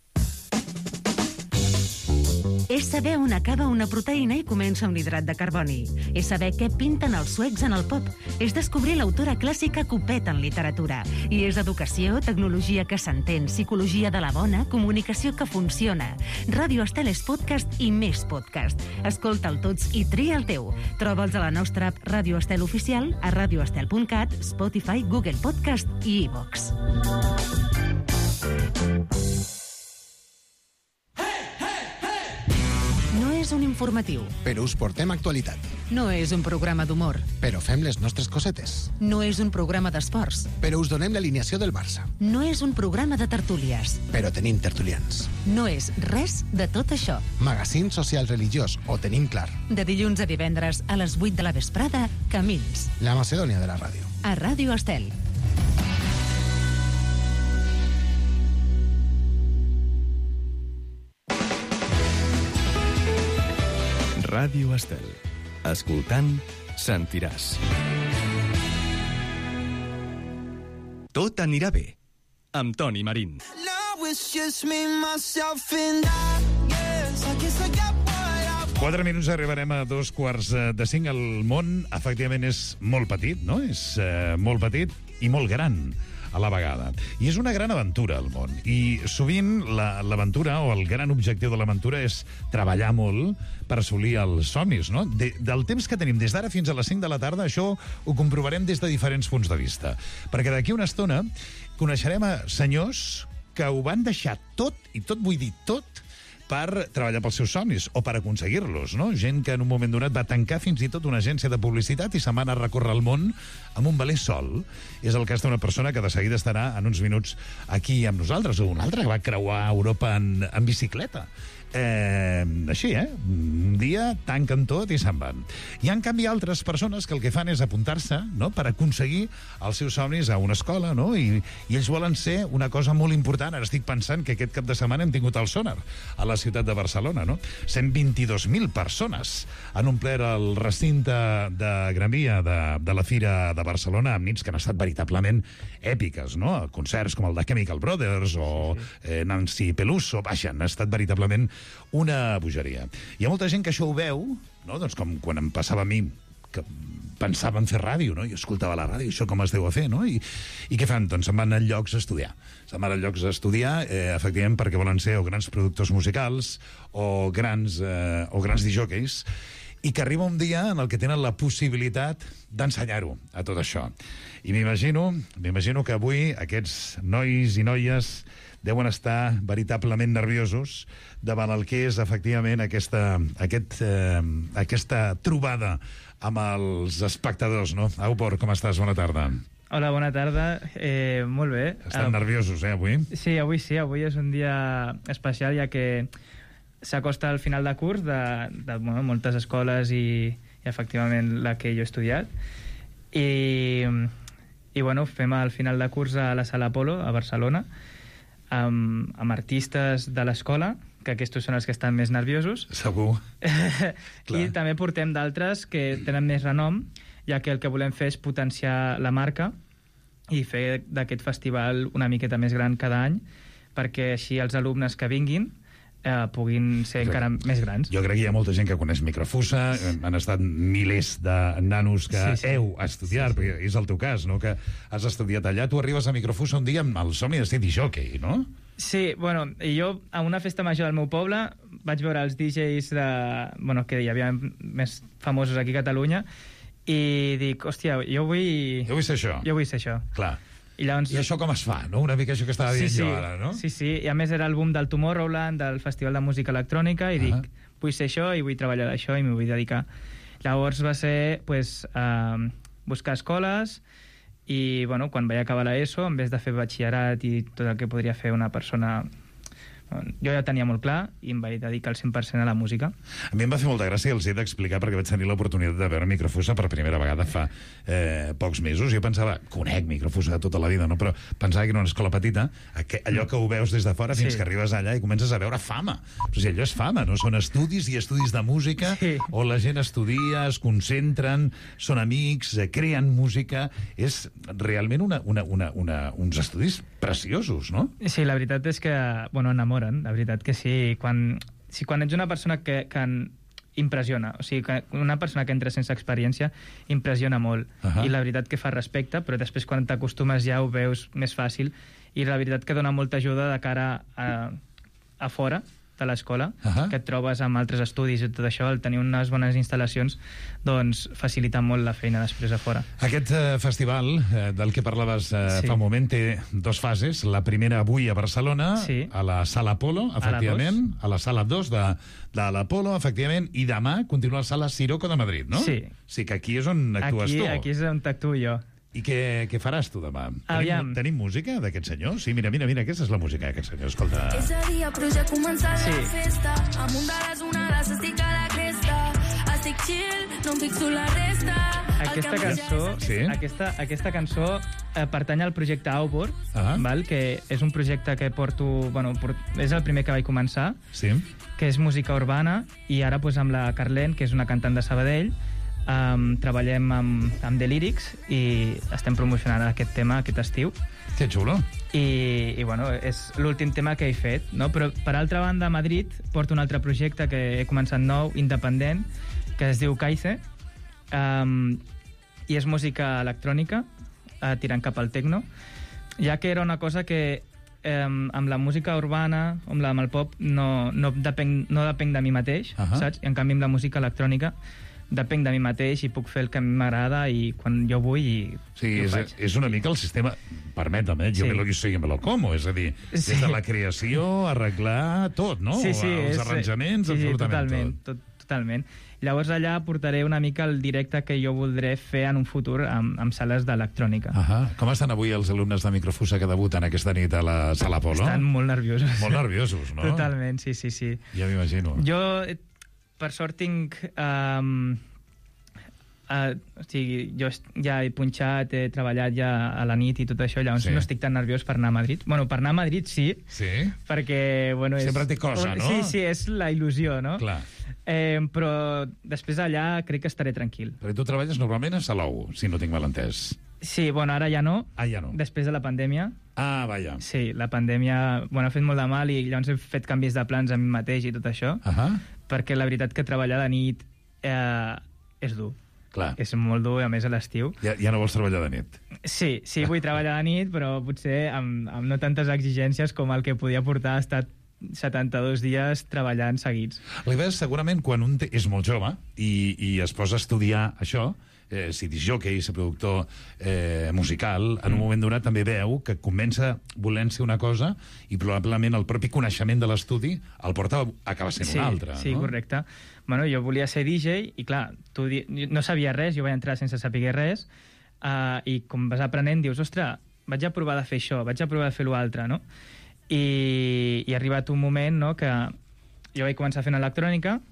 És saber on acaba una proteïna i comença un hidrat de carboni. És saber què pinten els suecs en el pop. És descobrir l'autora clàssica que ho peta en literatura. I és educació, tecnologia que s'entén, psicologia de la bona, comunicació que funciona. Ràdio Estel és podcast i més podcast. Escolta'l tots i tria el teu. Troba'ls a la nostra app Ràdio Estel Oficial, a radioestel.cat, Spotify, Google Podcast i iVox. No és un informatiu. Però us portem actualitat. No és un programa d'humor. Però fem les nostres cosetes. No és un programa d'esports. Però us donem l'alineació del Barça. No és un programa de tertúlies. Però tenim tertulians. No és res de tot això. Magazín social religiós, ho tenim clar. De dilluns a divendres a les 8 de la vesprada, Camins. La Macedònia de la ràdio. A Ràdio Estel. Ràdio Estel. Escoltant, sentiràs. Tot anirà bé. Amb Toni Marín. 4 minuts arribarem a 4:45. El món, efectivament, és molt petit, no? És molt petit i molt gran a la vegada. I és una gran aventura, el món. I sovint l'aventura, o el gran objectiu de l'aventura, és treballar molt per assolir els somnis, no? Del temps que tenim des d'ara fins a les 5 de la tarda, això ho comprovarem des de diferents punts de vista. Perquè d'aquí una estona coneixerem a senyors que ho van deixar tot, i tot vull dir tot, per treballar pels seus somnis o per aconseguir-los, no? Gent que en un moment donat va tancar fins i tot una agència de publicitat i se'n va anar a recórrer el món amb un veler sol. És el cas d'una persona que de seguida estarà en uns minuts aquí amb nosaltres, o una altra que va creuar Europa en bicicleta. Així, un dia tanquen tot i se'n van. Hi ha, en canvi, altres persones que el que fan és apuntar-se, no?, per aconseguir els seus somnis a una escola, no? I ells volen ser una cosa molt important. Ara estic pensant que aquest cap de setmana hem tingut el Sonar a la ciutat de Barcelona, no? 122.000 persones han omplert el recinte de Gran Via de la Fira de Barcelona amb nits que han estat veritablement èpiques, no? Concerts com el de Chemical Brothers o Nancy Peluso, vaja, han estat veritablement una bogeria. Hi ha molta gent que això ho veu, no? Doncs com quan em passava a mi, que pensava en fer ràdio, no? Jo escoltava la ràdio, això com es deu a fer, no? I què fan? Doncs se'n van a llocs a estudiar. Se'n van a llocs a estudiar, efectivament, perquè volen ser o grans productors musicals o grans disjòqueis, i que arriba un dia en el que tenen la possibilitat d'ensenyar-ho, a tot això. I m'imagino que avui aquests nois i noies deuen estar veritablement nerviosos davant el que és, efectivament, aquesta trobada amb els espectadors, no? Aupor, com estàs? Bona tarda. Hola, bona tarda. Molt bé. Estan nerviosos, avui? Sí, avui és un dia especial, ja que s'acosta al final de curs de moltes escoles i efectivament la que jo he estudiat. I bueno, fem el final de curs a la Sala Apolo, a Barcelona, amb artistes de l'escola, que aquests són els que estan més nerviosos. Segur. I també portem d'altres que tenen més renom, ja que el que volem fer és potenciar la marca i fer d'aquest festival una miqueta més gran cada any, perquè així els alumnes que vinguin puguin ser encara més grans. Jo crec que hi ha molta gent que coneix Microfusa, han estat milers de nanos que heu estudiat, perquè és el teu cas, no?, que has estudiat allà. Tu arribes a Microfusa un dia amb el somni de ser disjockey, no? Sí, bueno, jo a una festa major del meu poble vaig veure els DJs que hi havia més famosos aquí a Catalunya i dic, hòstia, jo vull ser això. Jo vull ser això. Clar. I això com es fa, no? Una mica això que estava dient jo ara, no? Sí, i a més era el boom del Tomorrowland, del Festival de Música Electrònica, i dic, vull ser això i vull treballar d'això i m'ho vull dedicar. Llavors va ser, buscar escoles i, bueno, quan vaig acabar l'ESO, en vez de fer batxillerat i tot el que podria fer una persona... Jo ja tenia molt clar i em vaig dedicar al 100% a la música. A mi em va fer molta gràcia, els he d'explicar, perquè vaig tenir l'oportunitat de veure Microfusa per primera vegada fa pocs mesos. Jo pensava, conec Microfusa de tota la vida, no? Però pensava que era una escola petita, allò que ho veus des de fora fins que arribes allà i comences a veure fama. O sigui, allò és fama, no? Són estudis i estudis de música on la gent estudia, es concentren, són amics, creen música. És realment uns estudis preciosos, no? Sí, la veritat és que, bueno, enamoren, la veritat que sí. Quan ets una persona que impressiona, o sigui, que una persona que entra sense experiència impressiona molt, i la veritat que fa respecte, però després quan t'acostumes ja ho veus més fàcil, i la veritat que dona molta ajuda de cara a fora de l'escola, que et trobes amb altres estudis i tot això, el tenir unes bones instal·lacions, doncs facilita molt la feina després a fora. Aquest festival del que parlaves fa un moment té dos fases. La primera avui a Barcelona, a la Sala Apolo, efectivament, a la Sala 2 de l'Apolo, efectivament, i demà continua a la Sala Siroco de Madrid, no? Sí. Sí, que aquí és on actues tu. Aquí és on t'actuo jo. I què faràs tu demà? Tenim música d'aquest senyor? Sí, mira, aquesta és la música d'aquest senyor, escolta. Ese dia però ja ha començat la festa, amunt de les onades estic a la cresta, estic chill, no em fixo la resta. Aquesta cançó pertany al projecte Outboard, que és un projecte que porto... Bueno, és el primer que vaig començar, que és música urbana, i ara amb la Carlén, que és una cantant de Sabadell, treballem amb The Lyrics i estem promocionant aquest tema aquest estiu. Que xulo. I bueno, és l'últim tema que he fet, no? Però per altra banda a Madrid porto un altre projecte que he començat nou, independent, que es diu Kaize, i és música electrònica tirant cap al techno, ja que era una cosa que amb la música urbana, amb el pop, no depenc de mi mateix, saps? I en canvi amb la música electrònica depenc de mi mateix i puc fer el que a mi m'agrada i quan jo vull i és una mica el sistema, permetem, jo me lo guiso y me lo como, és a dir, des de la creació, arreglar tot, no? Els arranjaments, absolutament tot. Totalment. Llavors allà portaré una mica el directe que jo voldré fer en un futur amb sales d'electrònica. Com estan avui els alumnes de Microfusa que debuten aquesta nit a la Sala Apolo? Estan molt nerviosos. Molt nerviosos, no? Totalment, sí. Ja m'imagino. Jo, per sort, tinc... o sigui, jo ja he punxat, he treballat ja a la nit i tot això, llavors no estic tan nerviós per anar a Madrid. Bueno, per anar a Madrid sí, perquè... Bueno, sempre té cosa, no? Sí, és la il·lusió, no? Clar. Però després allà crec que estaré tranquil. Perquè tu treballes normalment a Salou, si no tinc mal entès. Sí, bueno, ara ja no. Ja no. Després de la pandèmia. Vaja. Sí, la pandèmia ha fet molt de mal i llavors he fet canvis de plans a mi mateix i tot això, perquè la veritat que treballar de nit és dur. Clar. És molt dur, a més a l'estiu. Ja no vols treballar de nit? Sí, vull treballar de nit, però potser amb no tantes exigències com el que podia portar ha estat 72 dies treballant seguits. L'Ives, segurament, quan un és molt jove i es posa a estudiar això, si discjòquei, si productor musical, en un moment donat també veu que comença volent ser una cosa i probablement el propi coneixement de l'estudi el porta a acabar sent una altra. Sí, correcte. Bueno, jo volia ser DJ i, clar, no sabia res, jo vaig entrar sense saber res, i com vas aprenent dius, ostres, vaig a provar de fer això, vaig a provar de fer l'altre, no? I ha arribat un moment, no?, que jo vaig començar fent electrònica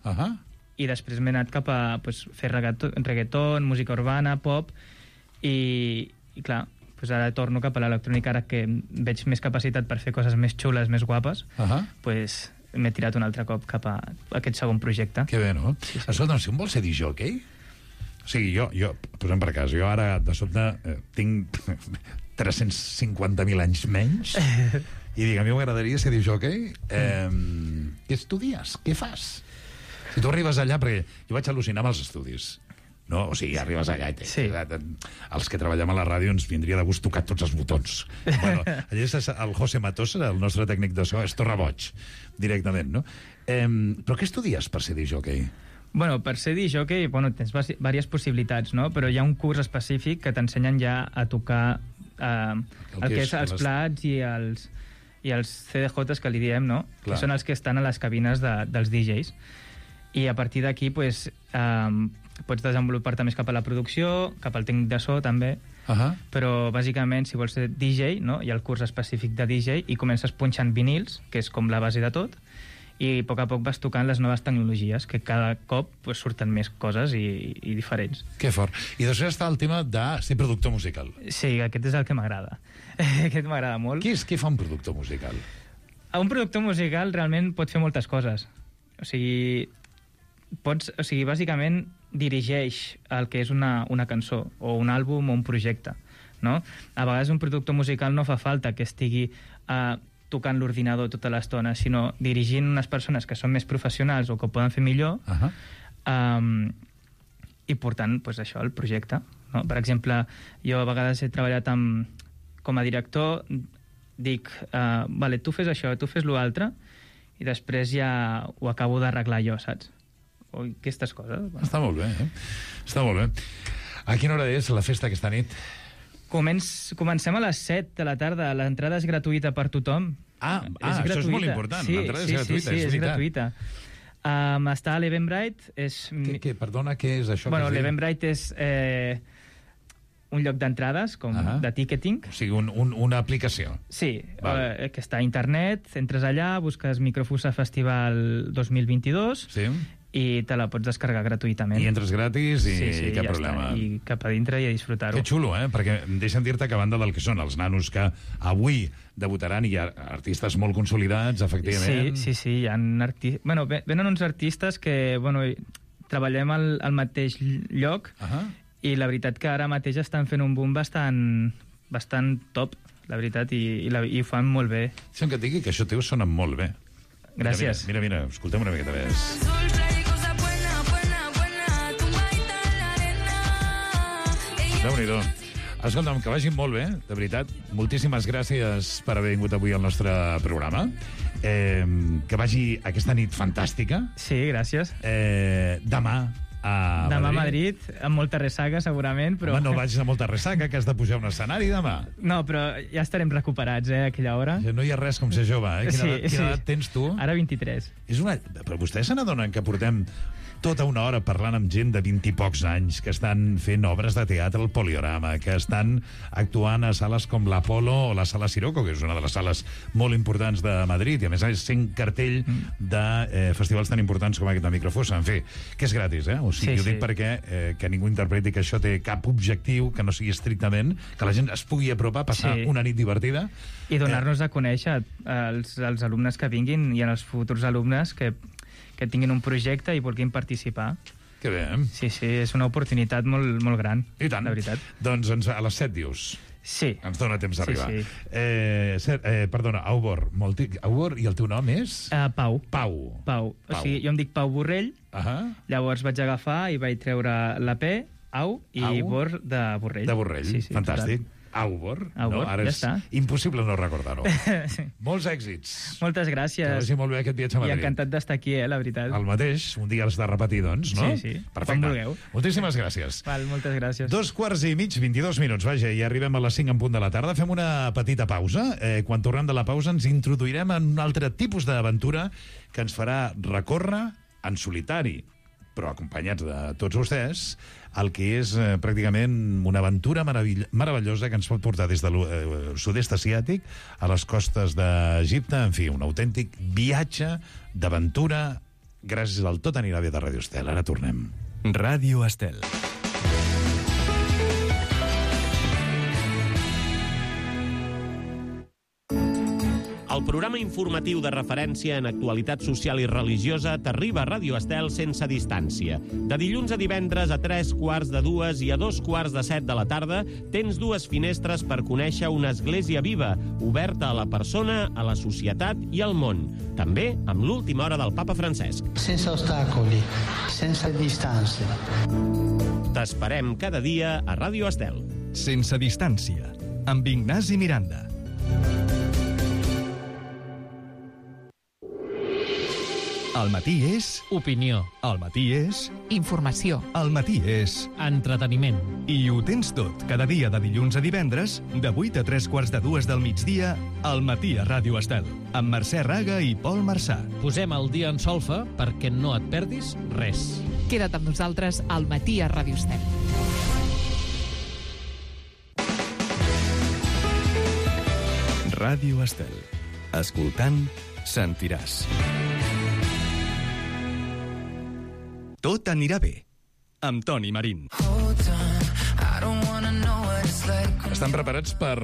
i després m'he anat cap a fer reggaeton, música urbana, pop, i clar, ara torno cap a l'electrònica, ara que veig més capacitat per fer coses més xules, més guapes, m'he tirat un altre cop cap a aquest segon projecte. Que bé, no? Escolta, si un vol ser discjòquei, o sigui, jo, posem per cas, jo ara de sobte tinc 350.000 anys menys i dic, a mi m'agradaria ser discjòquei. Què estudies? Què fas? Si tu arribes allà, perquè jo vaig al·lucinar amb els estudis, no? O sigui, arribes allà i els que treballem a la ràdio ens vindria de gust tocar tots els botons. Bueno, allà és el José Matosa, el nostre tècnic de so, és torraboig, directament, no? Però què estudies per ser discjòquei? Bueno, per ser discjòquei, tens diverses possibilitats, no? Però hi ha un curs específic que t'ensenyen ja a tocar el que és els plats i els CDJs que li diem, no? Que són els que estan a les cabines dels DJs. I a partir d'aquí, pots desenvolupar-te més cap a la producció, cap al tècnic de so, també. Però, bàsicament, si vols ser DJ, no? Hi ha el curs específic de DJ i comences punxant vinils, que és com la base de tot, i a poc vas tocant les noves tecnologies, que cada cop surten més coses i diferents. Que fort. I després està el tema de ser productor musical. Sí, aquest és el que m'agrada. Aquest m'agrada molt. Què fa un productor musical? Un productor musical realment pot fer moltes coses. O sigui, bàsicament dirigeix el que és una cançó, o un àlbum o un projecte, no? A vegades un productor musical no fa falta que estigui tocant l'ordinador tota l'estona, sinó dirigint unes persones que són més professionals o que ho poden fer millor, i portant, això, el projecte. No? Per exemple, jo a vegades he treballat com a director, dic, vale, tu fes això, tu fes l'altre, i després ja ho acabo d'arreglar jo, saps? O aquestes coses. Bueno. Està molt bé, Està molt bé. A quina hora és la festa aquesta nit? Comencem a les 7 de la tarda. L'entrada és gratuïta per tothom. Això és molt important. L'entrada és gratuïta, és gratuïta. Està a l'Eventbrite. Perdona, què és això? Bueno, l'Eventbrite és un lloc d'entrades, com de ticketing. O sigui, una aplicació. Sí, que està a internet. Entres allà, busques Microfusa Festival 2022... Sí. I te la pots descarregar gratuïtament. I entres gratis i cap problema. Està. I cap a dintre i a disfrutar-ho. Que xulo, perquè deixa'm dir-te que a banda del que són els nanos que avui debutaran, hi ha artistes molt consolidats, efectivament. Sí, hi ha venen uns artistes que, treballem al mateix lloc i la veritat que ara mateix estan fent un boom bastant top, la veritat, i ho fan molt bé. Deixa'm que et digui que això teu sona molt bé. Gràcies. Mira, escoltem una miqueta més. Déu-n'hi-do. Escolta'm, que vagi molt bé, de veritat. Moltíssimes gràcies per haver vingut avui al nostre programa. Que vagi aquesta nit fantàstica. Sí, gràcies. Demà a Madrid, amb molta ressaca, segurament, però... Home, no vagis a molta ressaca, que has de pujar a un escenari demà. No, però ja estarem recuperats, a aquella hora. No hi ha res com ser jove, Quina edat tens tu? Ara 23. Però vostès se n'adonen que portem tota una hora parlant amb gent de 20 i pocs anys que estan fent obres de teatre al Poliorama, que estan actuant a sales com l'Apolo o la Sala Siroco, que és una de les sales molt importants de Madrid, i a més sent cartell de festivals tan importants com aquest de Microfusa. En fi, que és gratis, O sigui, ho dic perquè que ningú interpreti que això té cap objectiu, que no sigui estrictament, que la gent es pugui apropar, passar una nit divertida. I donar-nos a conèixer als alumnes que vinguin i als futurs alumnes que tinguin un projecte i vulguin participar. Que bé, Sí, és una oportunitat molt, molt gran. I tant. La veritat. Doncs a les 7 dius. Sí. Ens dona temps d'arribar. Sí. Perdona, Aubor. Aubor, i el teu nom és? Pau. Pau. O sigui, jo em dic Pau Borrell, llavors vaig agafar i vaig treure la P, Au, i Bor de Borrell. De Borrell, sí, Total. fantàstic. Aubor, ara és impossible no recordar-ho. Molts èxits. Moltes gràcies. Que vagi molt bé aquest viatge a Madrid. I encantat d'estar aquí, la veritat. El mateix, un dia has de repetir, doncs, no? Sí. Perfecte. Com vulgueu. Moltíssimes gràcies. Val, moltes gràcies. 2:15, 22 minuts, vaja, i arribem a les 5 en punt de la tarda. Fem una petita pausa. Quan tornem de la pausa ens introduirem en un altre tipus d'aventura que ens farà recórrer en solitari, però acompanyats de tots vostès, el que és pràcticament una aventura meravellosa que ens pot portar des del sud-est asiàtic a les costes d'Egipte. En fi, un autèntic viatge d'aventura gràcies al Tot anirà bé de Ràdio Estel. Ara tornem. Ràdio Estel. El programa informatiu de referència en actualitat social i religiosa t'arriba a Ràdio Estel sense distància. De dilluns a divendres a 3:15 i a 2:17 de la tarda tens dues finestres per conèixer una església viva, oberta a la persona, a la societat i al món. També amb l'última hora del papa Francesc. Sense ostacoli, sense distància. T'esperem cada dia a Ràdio Estel. Sense distància, amb Ignasi Miranda. El matí és... Opinió. El matí és... Informació. El matí és... Entreteniment. I ho tens tot, cada dia de dilluns a divendres, de 8 a 3:45 del migdia, al matí a Ràdio Estel, amb Mercè Raga i Pol Marçà. Posem el dia en solfa perquè no et perdis res. Queda't amb nosaltres al Matí a Ràdio Estel. Ràdio Estel. Escoltant, sentiràs. Tot anirà bé. Amb Toni Marín. Estan preparats per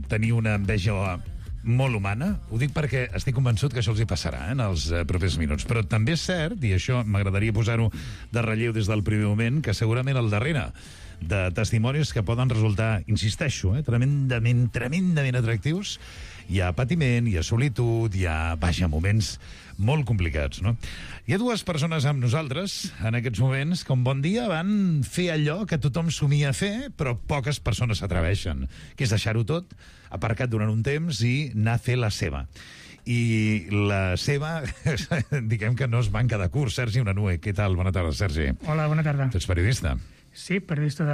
tenir una enveja molt humana? Ho dic perquè estic convençut que això els hi passarà en els propers minuts. Però també és cert, i això m'agradaria posar-ho de relleu des del primer moment, que segurament al darrere de testimonis que poden resultar, insisteixo, tremendament atractius, hi ha patiment, hi ha solitud, hi ha, moments molt complicats, no? Hi ha dues persones amb nosaltres en aquests moments que un bon dia van fer allò que tothom somia fer, però poques persones s'atreveixen, que és deixar-ho tot aparcat durant un temps i anar a fer la seva. I la seva, diguem que no es van quedar curts. Sergi Unanue, què tal? Bona tarda, Sergi. Hola, bona tarda. Tu ets periodista? Sí, periodista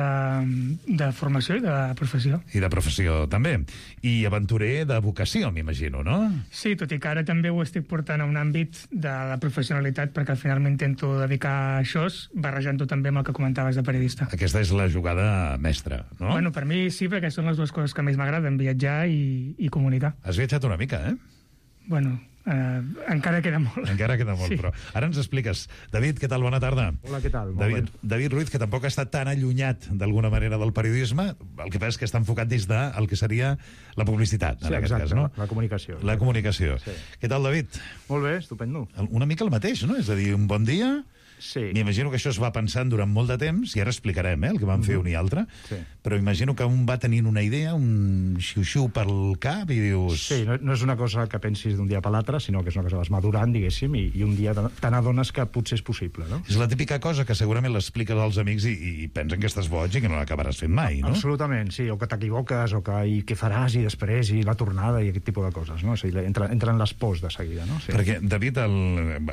de formació i de professió. I de professió, també. I aventurer de vocació, m'imagino, no? Sí, tot i que ara també ho estic portant a un àmbit de la professionalitat, perquè al final m'intento dedicar a això, barrejant-ho també amb el que comentaves de periodista. Aquesta és la jugada mestra, no? Bueno, per mi sí, perquè són les dues coses que més m'agraden, viatjar i comunicar. Has viatjat una mica, eh? Bueno, encara queda molt. Encara queda molt, sí. Però ara ens expliques. David, què tal? Bona tarda. Hola, què tal? David Ruiz, que tampoc ha estat tan allunyat d'alguna manera del periodisme, el que passa és que està enfocat des del que seria la publicitat, en aquest cas, no? La comunicació. La comunicació. Sí. Què tal, David? Molt bé, estupendo. Una mica el mateix, no? És a dir, un bon dia... Sí. M'imagino que això es va pensant durant molt de temps, i ara explicarem el que van fer un i altre, sí. Però imagino que un va tenint una idea, un xiu-xiu pel cap, i dius... Sí, no és una cosa que pensis d'un dia per l'altre, sinó que és una cosa que vas madurant, diguéssim, i un dia te n'adones que potser és possible, no? És la típica cosa que segurament l'expliques als amics i pensen que estàs boig i que no l'acabaràs fent mai, no? Absolutament, sí, o que t'equivoques, o que què faràs, i després, i la tornada, i aquest tipus de coses, no? O sigui, entren les pors de seguida, no? Sí. Perquè, David,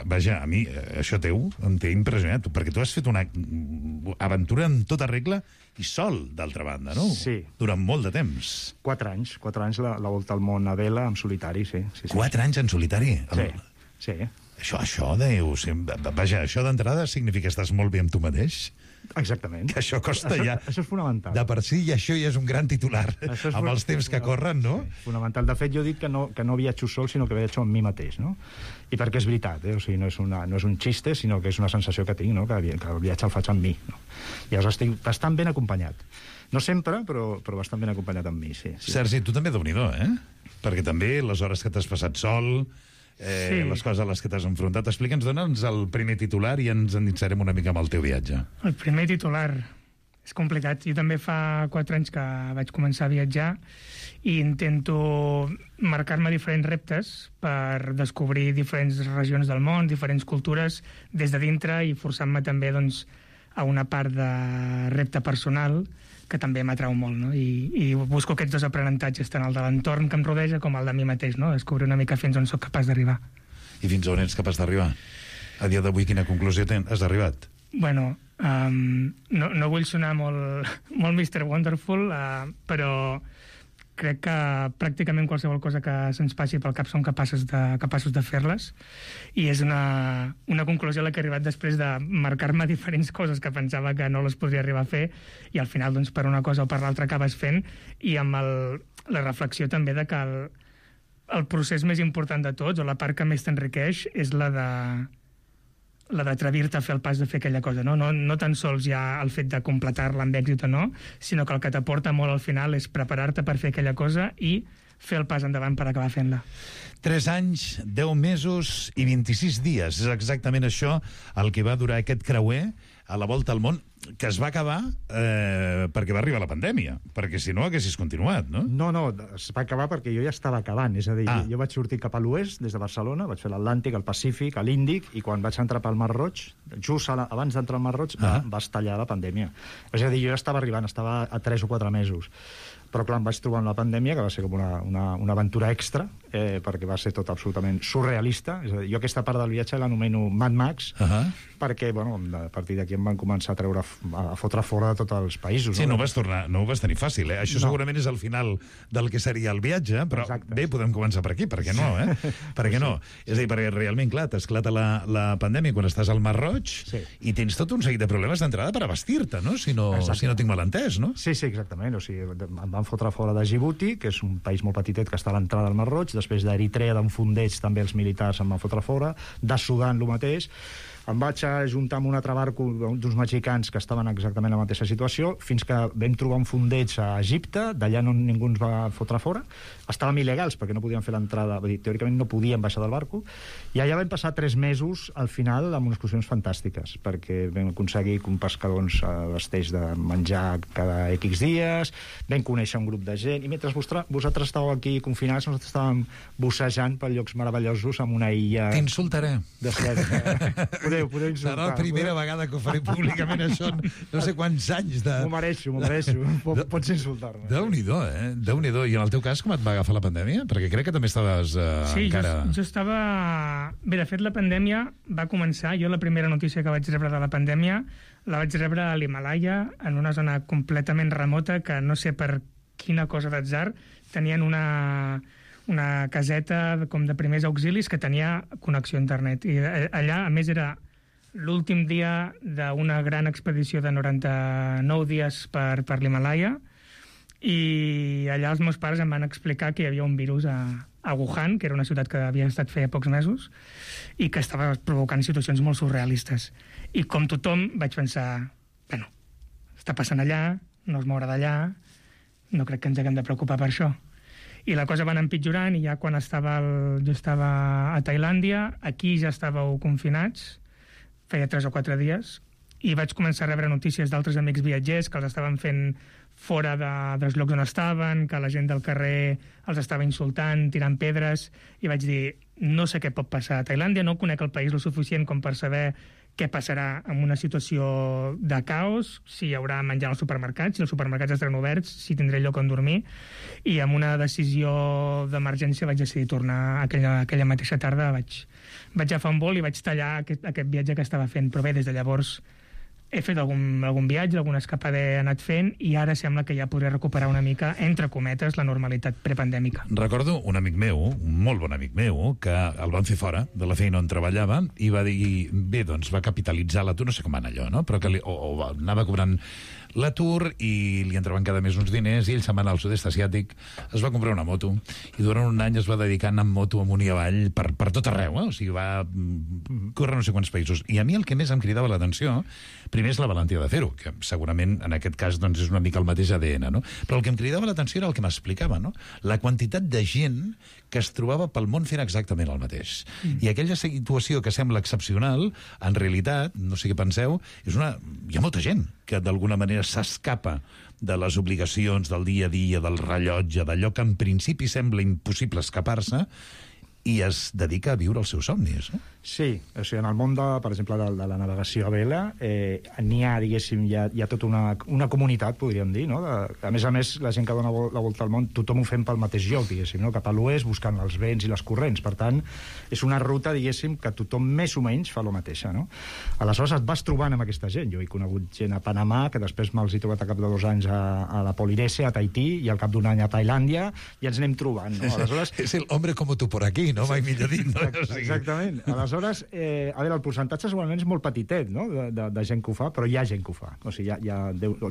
vaja, a mi, això teu, em té impressionat, perquè tu has fet una aventura en tota regla i sol, d'altra banda, no? Sí. Durant molt de temps. 4 anys la volta al món a vela en solitari, sí. 4 anys en solitari? Sí. Això deu... Vaja, això d'entrada significa que estàs molt bé amb tu mateix? Exactament. Que això costa ja... Això és fonamental. De per si, i això ja és un gran titular amb els temps que corren, no? Sí, fonamental. De fet, jo dic que no viatjo sol, sinó que viatjo amb mi mateix, no? I perquè és veritat, O sigui, no és un xiste, sinó que és una sensació que tinc, no? Que el viatge el faig amb mi, no? I llavors estic bastant ben acompanyat. No sempre, però bastant ben acompanyat amb mi, sí. Sergi, tu també Déu-n'hi-do, Perquè també les hores que t'has passat sol... sí. Les coses a les que t'has enfrontat. Explica'ns, dona'ns el primer titular i ens endinsarem una mica amb el teu viatge. El primer titular és complicat. Jo també fa 4 anys que vaig començar a viatjar i intento marcar-me diferents reptes per descobrir diferents regions del món, diferents cultures des de dintre i forçant-me també doncs, a una part de repte personal que també m'atrau molt, no? I busco aquests dos aprenentatges, tant el de l'entorn que em rodeja com el de mi mateix, no? Descobrir una mica fins on sóc capaç d'arribar. I fins on ets capaç d'arribar? A dia d'avui, quina conclusió has arribat? Bueno, no vull sonar molt Mr. Wonderful, però crec que pràcticament qualsevol cosa que se'ns passi pel cap som capaços de fer-les, i és una conclusió a la que he arribat després de marcar-me diferents coses que pensava que no les podria arribar a fer, i al final, doncs, per una cosa o per l'altra acabes fent, i amb la reflexió també de que el procés més important de tots, o la part que més t'enriqueix, és la d'atrevir-te a fer el pas de fer aquella cosa, no? No tan sols ja el fet de completar-la amb èxit o no, sinó que el que t'aporta molt al final és preparar-te per fer aquella cosa i fer el pas endavant per acabar fent-la. 3 anys, 10 mesos i 26 dies. És exactament això el que va durar aquest creuer a la volta al món, que es va acabar perquè va arribar la pandèmia, perquè si no haguessis continuat, no? No, es va acabar perquè jo ja estava acabant, és a dir, jo vaig sortir cap a l'oest des de Barcelona, vaig fer l'Atlàntic, el Pacífic, l'Índic, i quan vaig entrar pel Mar Roig, just abans d'entrar al Mar Roig, va estallar la pandèmia. És a dir, jo ja estava arribant, estava a 3 o 4 mesos. Però clar, em vaig trobar amb la pandèmia, que va ser com una aventura extra, perquè va ser tot absolutament surrealista. És a dir, jo aquesta part del viatge l'anomeno Mad Max, perquè, bueno, a partir d'aquí em van començar a treure fotre fora de tots els països. Sí, no ho vas tenir fàcil, eh? Això segurament és el final del que seria el viatge, però bé, podem començar per aquí, per què no, eh? Per què no? És a dir, perquè realment, clar, t'esclata la pandèmia quan estàs al Mar Roig i tens tot un seguit de problemes d'entrada per abastir-te, no? Si no tinc mal entès, no? Sí, exactament. O sigui, em van fotre fora de Djibouti, que és un país molt petitet que està a l'entrada del Mar Roig, després d'Eritrea, d'un fondeig, també els militars em van fotre fora, de Sudan, el mateix. Em vaig ajuntar amb un altre barco d'uns mexicans que estaven exactament en la mateixa situació, fins que vam trobar un fondeig a Egipte, d'allà no ningú ens va fotre fora. Estàvem il·legals perquè no podíem fer l'entrada, teòricament no podíem baixar del barco, i allà vam passar 3 mesos al final amb unes excursions fantàstiques, perquè vam aconseguir que un pescador ens vesteix de menjar cada X dies, vam conèixer un grup de gent, i mentre vosaltres estàveu aquí confinats, nosaltres estàvem bussejant per llocs meravellosos amb una illa... T'insultaré. Podeu insultar. Serà la primera vegada que ho faré públicament, això, no sé quants anys de... M'ho mereixo. Pots insultar-me. Déu-n'hi-do, eh? Déu-n'hi-do. I en el teu cas, com et va agafar la pandèmia? Perquè crec que també estaves encara... Sí, jo estava... Bé, de fet, la pandèmia va començar... Jo la primera notícia que vaig rebre de la pandèmia la vaig rebre a l'Himalaya, en una zona completament remota, que no sé per quina cosa d'atzar tenien una caseta com de primers auxilis que tenia connexió a internet. I allà, a més, era l'últim dia d'una gran expedició de 99 dies per l'Himalaya, i allà els meus pares em van explicar que hi havia un virus a Wuhan, que era una ciutat que havia estat feia pocs mesos, i que estava provocant situacions molt surrealistes. I com tothom vaig pensar, bueno, està passant allà, no es mourà d'allà, no crec que ens haguem de preocupar per això. I la cosa va anar empitjorant, i ja quan jo estava a Tailàndia, aquí ja estàveu confinats, feia 3 o 4 dies, i vaig començar a rebre notícies d'altres amics viatgers que els estaven fent fora dels llocs on estaven, que la gent del carrer els estava insultant, tirant pedres, i vaig dir, no sé què pot passar a Tailàndia, no conec el país lo suficient com per saber què passarà en una situació de caos, si hi haurà menjar als supermercats, si els supermercats estaran oberts, si tindré lloc on dormir, i amb una decisió d'emergència vaig decidir tornar aquella mateixa tarda, vaig agafar un vol i vaig tallar aquest viatge que estava fent, però bé, des de llavors he fet algun viatge, alguna escapada he anat fent, i ara sembla que ja podré recuperar una mica, entre cometes, la normalitat prepandèmica. Recordo un amic meu, un molt bon amic meu, que el van fer fora de la feina on treballava i va dir, bé, doncs va capitalitzar l'atur, no sé com va anar allò, no? Però que anava cobrant l'atur i li entraven cada mes uns diners, i ell se'n va anar al sud-est asiàtic, es va comprar una moto, i durant un any es va dedicar a anar amb moto amunt i avall per tot arreu, o sigui, va córrer no sé quants països. I a mi el que més em cridava l'atenció, primer és la valentia de fer-ho, que segurament en aquest cas doncs, és una mica el mateix ADN, no? Però el que em cridava l'atenció era el que m'explicava, no? La quantitat de gent que es trobava pel món fent exactament el mateix. I aquella situació que sembla excepcional, en realitat, no sé què penseu, hi ha molta gent que d'alguna manera s'escapa de les obligacions del dia a dia, del rellotge, d'allò que en principi sembla impossible escapar-se, i es dedica a viure els seus somnis, no? Sí, o sigui, en el món, per exemple, de la navegació a vela, n'hi ha, diguéssim, hi ha tota una comunitat, podríem dir, no? A més, la gent que dona la volta al món, tothom ho fem pel mateix lloc, diguéssim, no? Cap a l'oest, buscant els vents i les corrents. Per tant, és una ruta, diguéssim, que tothom més o menys fa la mateixa, no? Aleshores et vas trobant amb aquesta gent. Jo he conegut gent a Panamà, que després me'ls he trobat a cap de 2 anys a la Polinèsia, a Tahití, i al cap d'un any a Tailàndia, i ens anem trobant, no? Aleshores... És el hombre como tú por aquí, no? Mai millor dit, no? Exactament. Aleshores, a veure, el percentatge segurament és molt petitet, no?, de gent que ho fa, però hi ha gent que ho fa. O sigui,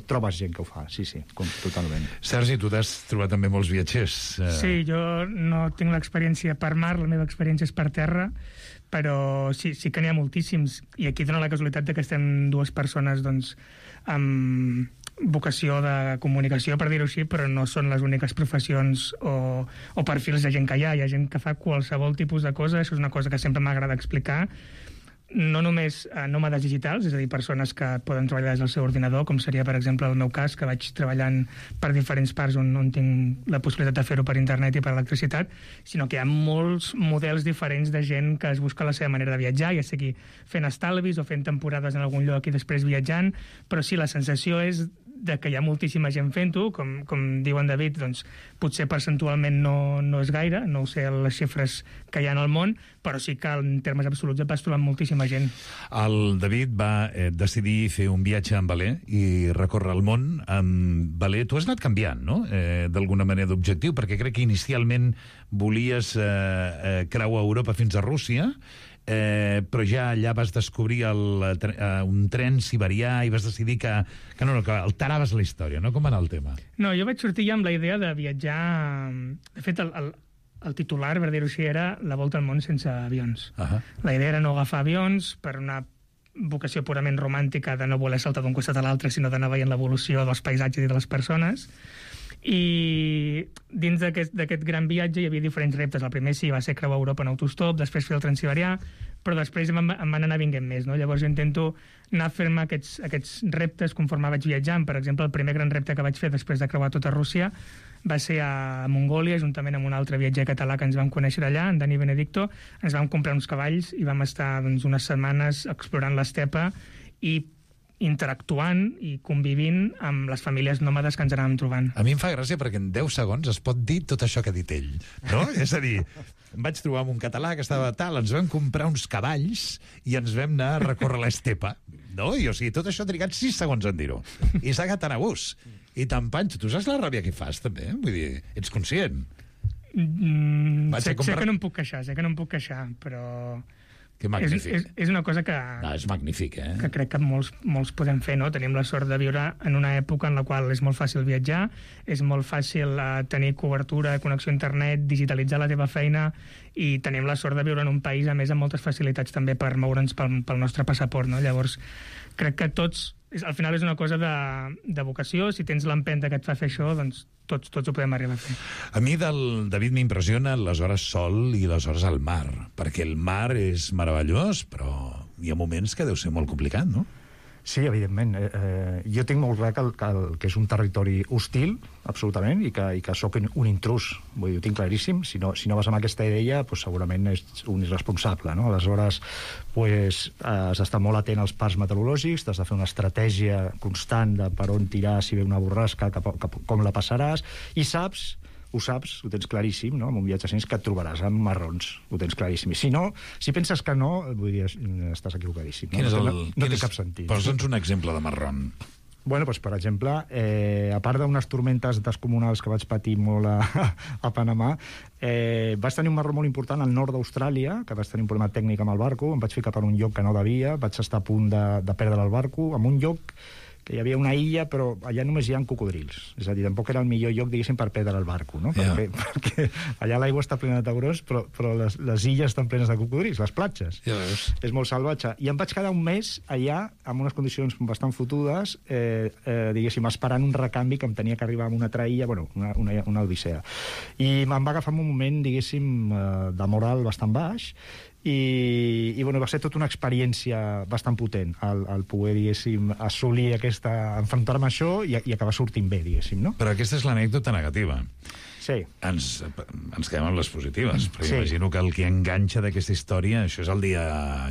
trobes gent que ho fa, sí, totalment. Sergi, tu t'has trobat també molts viatgers. Sí, jo no tinc l'experiència per mar, la meva experiència és per terra, però sí que n'hi ha moltíssims. I aquí dona la casualitat que estem 2 persones, doncs, amb vocació de comunicació, per dir-ho així, però no són les úniques professions o perfils de gent que hi ha. Hi ha gent que fa qualsevol tipus de cosa, això és una cosa que sempre m'agrada explicar. No només nòmades digitals, és a dir, persones que poden treballar des del seu ordinador, com seria, per exemple, el meu cas, que vaig treballant per diferents parts on tinc la possibilitat de fer-ho per internet i per electricitat, sinó que hi ha molts models diferents de gent que es busca la seva manera de viatjar, ja sigui fent estalvis o fent temporades en algun lloc i després viatjant, però sí, la sensació és de que hi ha moltíssima gent fent-ho, com diu en David, doncs potser percentualment no és gaire, no ho sé les xifres que hi ha en el món, però sí que en termes absoluts et vas trobant moltíssima gent. El David va decidir fer un viatge amb Valé i recórrer el món amb Valé. Tu has anat canviant, no?, d'alguna manera d'objectiu, perquè crec que inicialment volies creuar Europa fins a Rússia, però ja allà vas descobrir un tren siberià i vas decidir que alteraves la història, no? Com va anar el tema? No, jo vaig sortir ja amb la idea de viatjar... De fet, el titular, per dir-ho així, era la volta al món sense avions. La idea era no agafar avions per una vocació purament romàntica de no voler saltar d'un costat a l'altre, sinó d'anar veient l'evolució dels paisatges i de les persones. I dins d'aquest gran viatge hi havia diferents reptes. El primer sí va ser creuar Europa en autostop, després fer el Transsiberià, però després em van anar vinguent més, no? Llavors jo intento anar fent-me aquests reptes conforme vaig viatjant. Per exemple, el primer gran repte que vaig fer després de creuar tota Rússia va ser a Mongòlia, juntament amb un altre viatger català que ens vam conèixer allà, en Dani Benedicto. Ens vam comprar uns cavalls i vam estar unes setmanes explorant l'estepa i interactuant i convivint amb les famílies nòmades que ens anàvem trobant. A mi em fa gràcia perquè en 10 segons es pot dir tot això que ha dit ell, no? És a dir, em vaig trobar amb un català que estava tal, ens vam comprar uns cavalls i ens vam anar a recórrer l'estepa, no? I o sigui, tot això ha trigat 6 segons en dir-ho. I s'ha agat a gust. I te'n panxo. Tu saps la ràbia que fas, també? Vull dir, ets conscient? Sé que no em puc queixar, però... Que magnífic. És una cosa que... No, és magnífic, que crec que molts podem fer, no? Tenim la sort de viure en una època en la qual és molt fàcil viatjar, és molt fàcil tenir cobertura, connexió a internet, digitalitzar la teva feina, i tenim la sort de viure en un país, a més, amb moltes facilitats també per moure'ns pel nostre passaport, no? Llavors, crec que tots... Al final és una cosa de vocació. Si tens l'empenta que et fa fer això, doncs tots ho podem arribar a fer. A mi del David m'impressiona les hores sol i les hores al mar, perquè el mar és meravellós, però hi ha moments que deu ser molt complicat, no? Sí, evidentment. Jo tinc molt clar que és un territori hostil, absolutament, i que sóc un intrus. Vull dir, ho tinc claríssim. Si no vas amb aquesta idea, doncs segurament és un irresponsable, no? Aleshores, has d'estar molt atent als parcs meteorològics, has de fer una estratègia constant de per on tirar si ve una borrasca, com la passaràs, i ho saps, ho tens claríssim, no? En un viatge així que et trobaràs amb marrons, ho tens claríssim. I si penses que no, vull dir, estàs equivocadíssim. No té cap sentit. Posa'ns un exemple de marron. Bueno, doncs, per exemple, a part d'unes tormentes descomunals que vaig patir molt a Panamà, vaig tenir un marró molt important al nord d'Austràlia, que vaig tenir un problema tècnic amb el barco, em vaig ficar per un lloc que no devia, vaig estar a punt de perdre el barco, en un lloc que hi havia una illa, però allà només hi ha cocodrils. És a dir, tampoc era el millor lloc, diguéssim, per perdre el barco, no? Perquè allà l'aigua està plena de taurons, però les illes estan plenes de cocodrils, les platges. És molt salvatge. I em vaig quedar un mes allà, amb unes condicions bastant fotudes, diguéssim, esperant un recanvi que em tenia que arribar a una altra illa, bueno, una odissea. I me'n va agafar un moment, diguéssim, de moral bastant baix, i bueno, va ser tota una experiència bastant potent el poder, diguéssim, assolir enfrontar-me a això i acabar sortint bé, diguéssim, no? Però aquesta és l'anècdota negativa. Sí. Ens quedem amb les positives, perquè imagino que el que enganxa d'aquesta història, això és el dia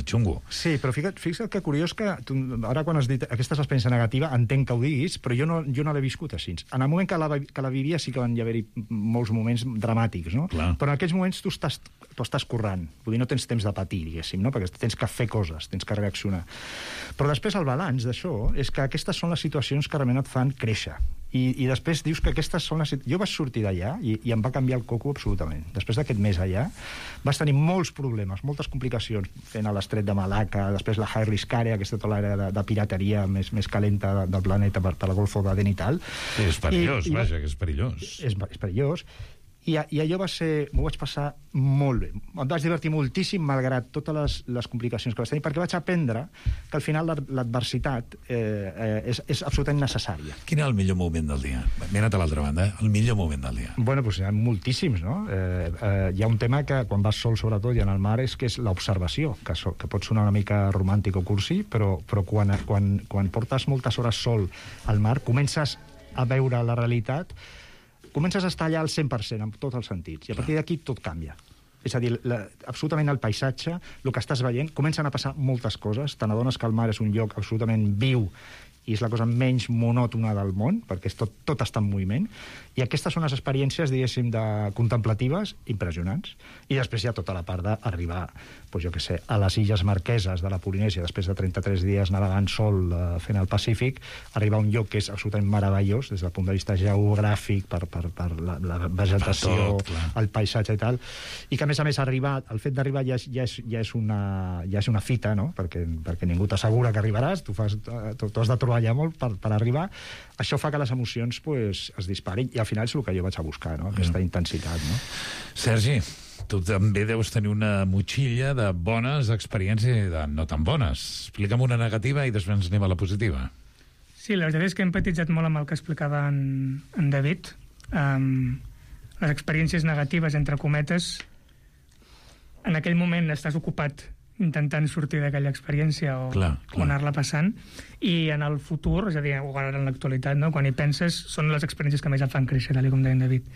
xungo. Sí, però fixa't que curiós que ara quan has dit aquesta és l'experiència negativa, entenc que ho diguis, però jo no l'he viscut així. En el moment que la vivia sí que van haver-hi molts moments dramàtics, no? Clar. Però en aquells moments tu estàs corrent, vull dir, no tens temps de patir, diguéssim, no? Perquè tens que fer coses, tens que reaccionar. Però després el balanç d'això és que aquestes són les situacions que realment et fan créixer. I després dius que aquestes són les... Jo vaig sortir d'allà i em va canviar el coco absolutament. Després d'aquest mes allà vas tenir molts problemes, moltes complicacions fent a l'estret de Malacca, després la High Risk Area, aquesta tota l'àrea de pirateria més calenta del planeta per la Golfo d'Aden i tal. Sí, és perillós, vaja, que és perillós. És perillós. I allò m'ho vaig passar molt bé. Em vaig divertir moltíssim, malgrat totes les complicacions que vaig tenir, perquè vaig aprendre que al final l'adversitat és absolutament necessària. Quin és el millor moment del dia? M'he anat a l'altra banda, el millor moment del dia. Bueno, doncs hi ha moltíssims, no? Hi ha un tema que, quan vas sol, sobretot, i en el mar, és que és l'observació, que pot sonar una mica romàntic o cursi, però quan portes moltes hores sol al mar, comences a veure la realitat, comences a estar allà al 100%, en tots els sentits, i a partir d'aquí tot canvia. És a dir, absolutament el paisatge, el que estàs veient, comencen a passar moltes coses, te n'adones que el mar és un lloc absolutament viu i és la cosa menys monòtona del món, perquè tot està en moviment, i aquestes són les experiències, diguéssim, contemplatives impressionants. I després hi ha tota la part d'arribar, doncs jo què sé, a les Illes Marqueses de la Polinèsia, després de 33 dies navegant sol fent el Pacífic, arribar a un lloc que és absolutament meravellós des del punt de vista geogràfic, per la vegetació, el paisatge i tal, i que a més el fet d'arribar ja és una fita, no? perquè ningú t'assegura que arribaràs, tu has de treballar molt per arribar. Això fa que les emocions es disparin, i al final és el que jo vaig a buscar, no? Aquesta intensitat. No? Sergi, tu també deus tenir una motxilla de bones experiències i de no tan bones. Explica'm una negativa i després ens anem a la positiva. Sí, la veritat és que he empatitzat molt amb el que explicava en David. Les experiències negatives, entre cometes, en aquell moment estàs ocupat intentant sortir d'aquella experiència o anar-la passant, i en el futur, és a dir, o ara en l'actualitat, no? Quan hi penses, són les experiències que més et fan créixer, tal com deia en David.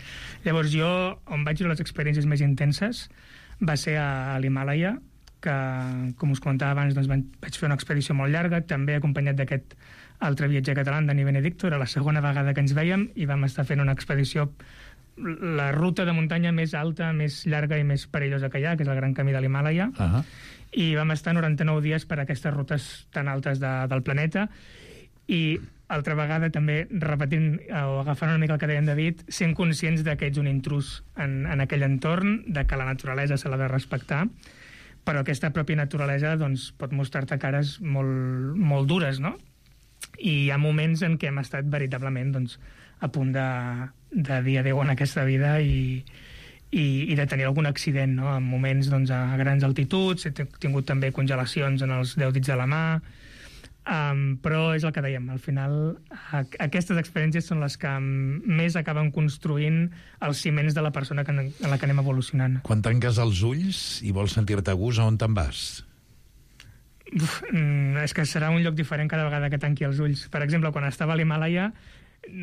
Llavors jo, on vaig viure les experiències més intenses, va ser a l'Himàlaia, que, com us comentava abans, doncs vaig fer una expedició molt llarga, també acompanyat d'aquest altre viatger català, Dani Benedicto, era la segona vegada que ens vèiem, i vam estar fent una expedició, la ruta de muntanya més alta, més llarga i més perillosa que hi ha, que és el Gran Camí de l'Himàlaia, i vam estar 99 dies per aquestes rutes tan altes del planeta, i altra vegada també repetint o agafant una mica el que deia en David, sent conscients que ets un intrus en aquell entorn, de que la naturalesa se l'ha de respectar, però aquesta pròpia naturalesa doncs, pot mostrar-te cares molt, molt dures, no? I hi ha moments en què hem estat veritablement doncs, a punt de dir adéu en aquesta vida i de tenir algun accident, no? En moments doncs, a grans altituds, he tingut també congelacions en els 10 dits de la mà, però és el que dèiem, al final aquestes experiències són les que més acaben construint els ciments de la persona en la que anem evolucionant. Quan tanques els ulls i vols sentir-te a gust, on te'n vas? És que serà un lloc diferent cada vegada que tanqui els ulls. Per exemple, quan estava a l'Himàlaia,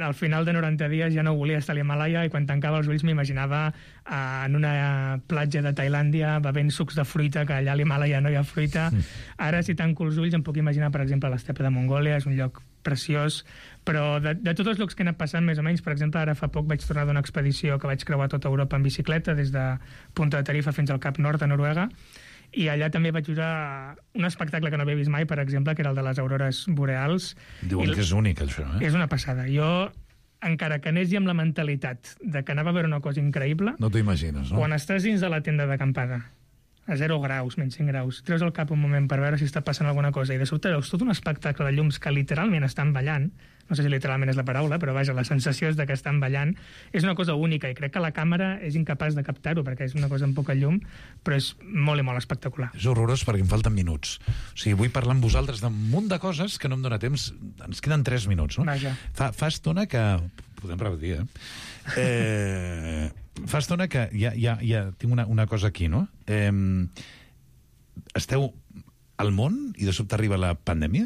al final de 90 dies ja no volia estar a l'Himàlaia, i quan tancava els ulls m'imaginava en una platja de Tailàndia bevent sucs de fruita, que allà a l'Himàlaia no hi ha fruita. Ara, si tanco els ulls, em puc imaginar, per exemple, l'estepa de Mongòlia, és un lloc preciós, però de tots els llocs que he anat passant, més o menys, per exemple, ara fa poc vaig tornar d'una expedició que vaig creuar tota Europa en bicicleta, des de Punta de Tarifa fins al Cap Nord, a Noruega, i allà també vaig viure un espectacle que no havia vist mai, per exemple, que era el de les aurores boreals. Diuen que és únic, això, eh? És una passada. Jo, encara que anés amb la mentalitat de que anava a veure una cosa increïble... No t'ho imagines, no? Quan estàs dins de la tenda d'acampada, a 0 graus, menys 5 graus, treus el cap un moment per veure si està passant alguna cosa, i de sobte veus tot un espectacle de llums que literalment estan ballant, no sé si literalment és la paraula, però vaja, la sensació és que estan ballant, és una cosa única, i crec que la càmera és incapaç de captar-ho, perquè és una cosa amb poca llum, però és molt i molt espectacular. És horrorós perquè em falten minuts. O sigui, vull parlar amb vosaltres d'un munt de coses que no em dóna temps. Ens queden 3 minuts, no? Vaja. Fa estona que... Podem repetir, fa estona que ja tinc una cosa aquí, no? Esteu al món i de sobte arriba la pandèmia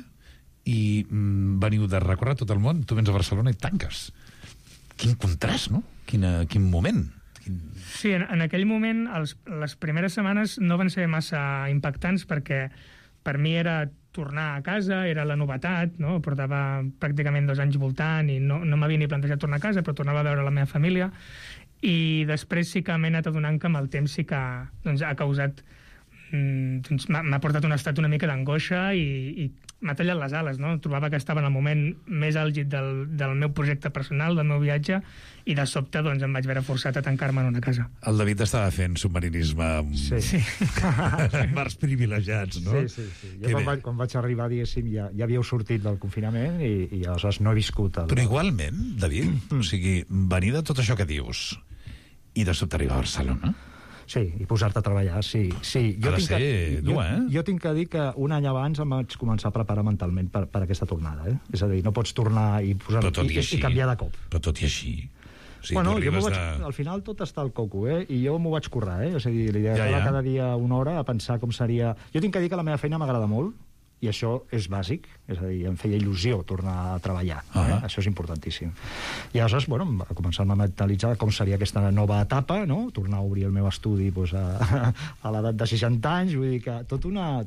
i veniu de recórrer tot el món, tu vens a Barcelona i tanques. Quin contrast, no? Quin moment. Sí, en aquell moment les primeres setmanes no van ser massa impactants, perquè per mi era tornar a casa, era la novetat, no? Portava pràcticament 2 anys voltant i no m'havia ni plantejat tornar a casa, però tornava a veure la meva família, i després sí que m'he anat adonant que amb el temps sí que doncs, ha causat... Doncs, m'ha portat un estat una mica d'angoixa i m'ha tallat les ales, no? Trobava que estava en el moment més àlgid del meu projecte personal, del meu viatge, i de sobte doncs, em vaig veure forçat a tancar-me en una casa. El David estava fent submarinisme amb mars privilegiats, no? Sí. Jo quan vaig arribar, diguéssim, ja havíeu sortit del confinament i aleshores no he viscut... Però igualment, David, o sigui, venir de tot això que dius i de sobte arribar a Barcelona... Sí, i posar-te a treballar, sí. Ha de ser dur, eh? Jo tinc que dir que un any abans em vaig començar a preparar mentalment per aquesta tornada, eh? És a dir, no pots tornar i canviar de cop. Però tot i així... O sigui, al final tot està al coco, eh? I jo m'ho vaig currar, eh? És a dir, l'idea de cada dia una hora a pensar com seria... Jo tinc que dir que la meva feina m'agrada molt, i això és bàsic, és a dir, em feia il·lusió tornar a treballar, això és importantíssim. I aleshores, bueno, va començar a mentalitzar com seria aquesta nova etapa, no? Tornar a obrir el meu estudi doncs, a l'edat de 60 anys, vull dir que tot una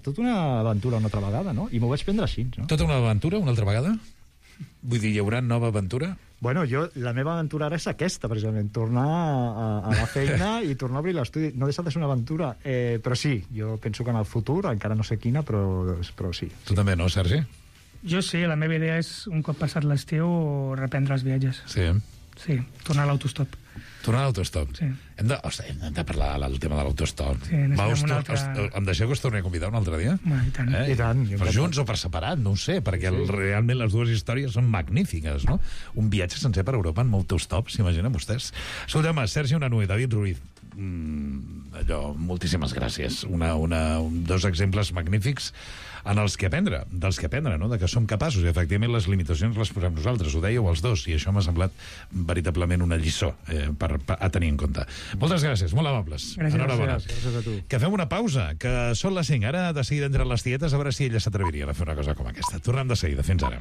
aventura una altra vegada, no? I m'ho vaig prendre així, no? Tota una aventura una altra vegada? Vull dir, hi haurà nova aventura? Bueno, la meva aventura ara és aquesta, precisament, tornar a la feina i tornar a obrir l'estudi. No deixa de ser una aventura, però sí, jo penso que en el futur, encara no sé quina, però sí. Tu també, no, Sergi? Jo sí, la meva idea és, un cop passat l'estiu, reprendre els viatges. Sí. Sí, tornar a l'autostop. Tornar a l'autostop. Sí. Hem de parlar del tema de l'autostop. Sí, em deixeu que us torni a convidar un altre dia? I tant. I tant. Per junts o per separat, no ho sé, perquè realment les dues històries són magnífiques, no? Un viatge sencer per Europa en autostop, s'imaginen vostès? Escolta'm, Sergi Unanue, David Ruiz, moltíssimes gràcies. Dos exemples magnífics en els que aprendre, dels que aprendre, no? De que som capaços, i efectivament les limitacions les posem nosaltres, ho dèieu els dos, i això m'ha semblat veritablement una lliçó a tenir en compte. Moltes gràcies, molt amables. Gràcies a tu. Que fem una pausa, que són les 5. Ara, de seguida, entre les tietes, a veure si ella s'atreviria a fer una cosa com aquesta. Tornem de seguida. Fins ara.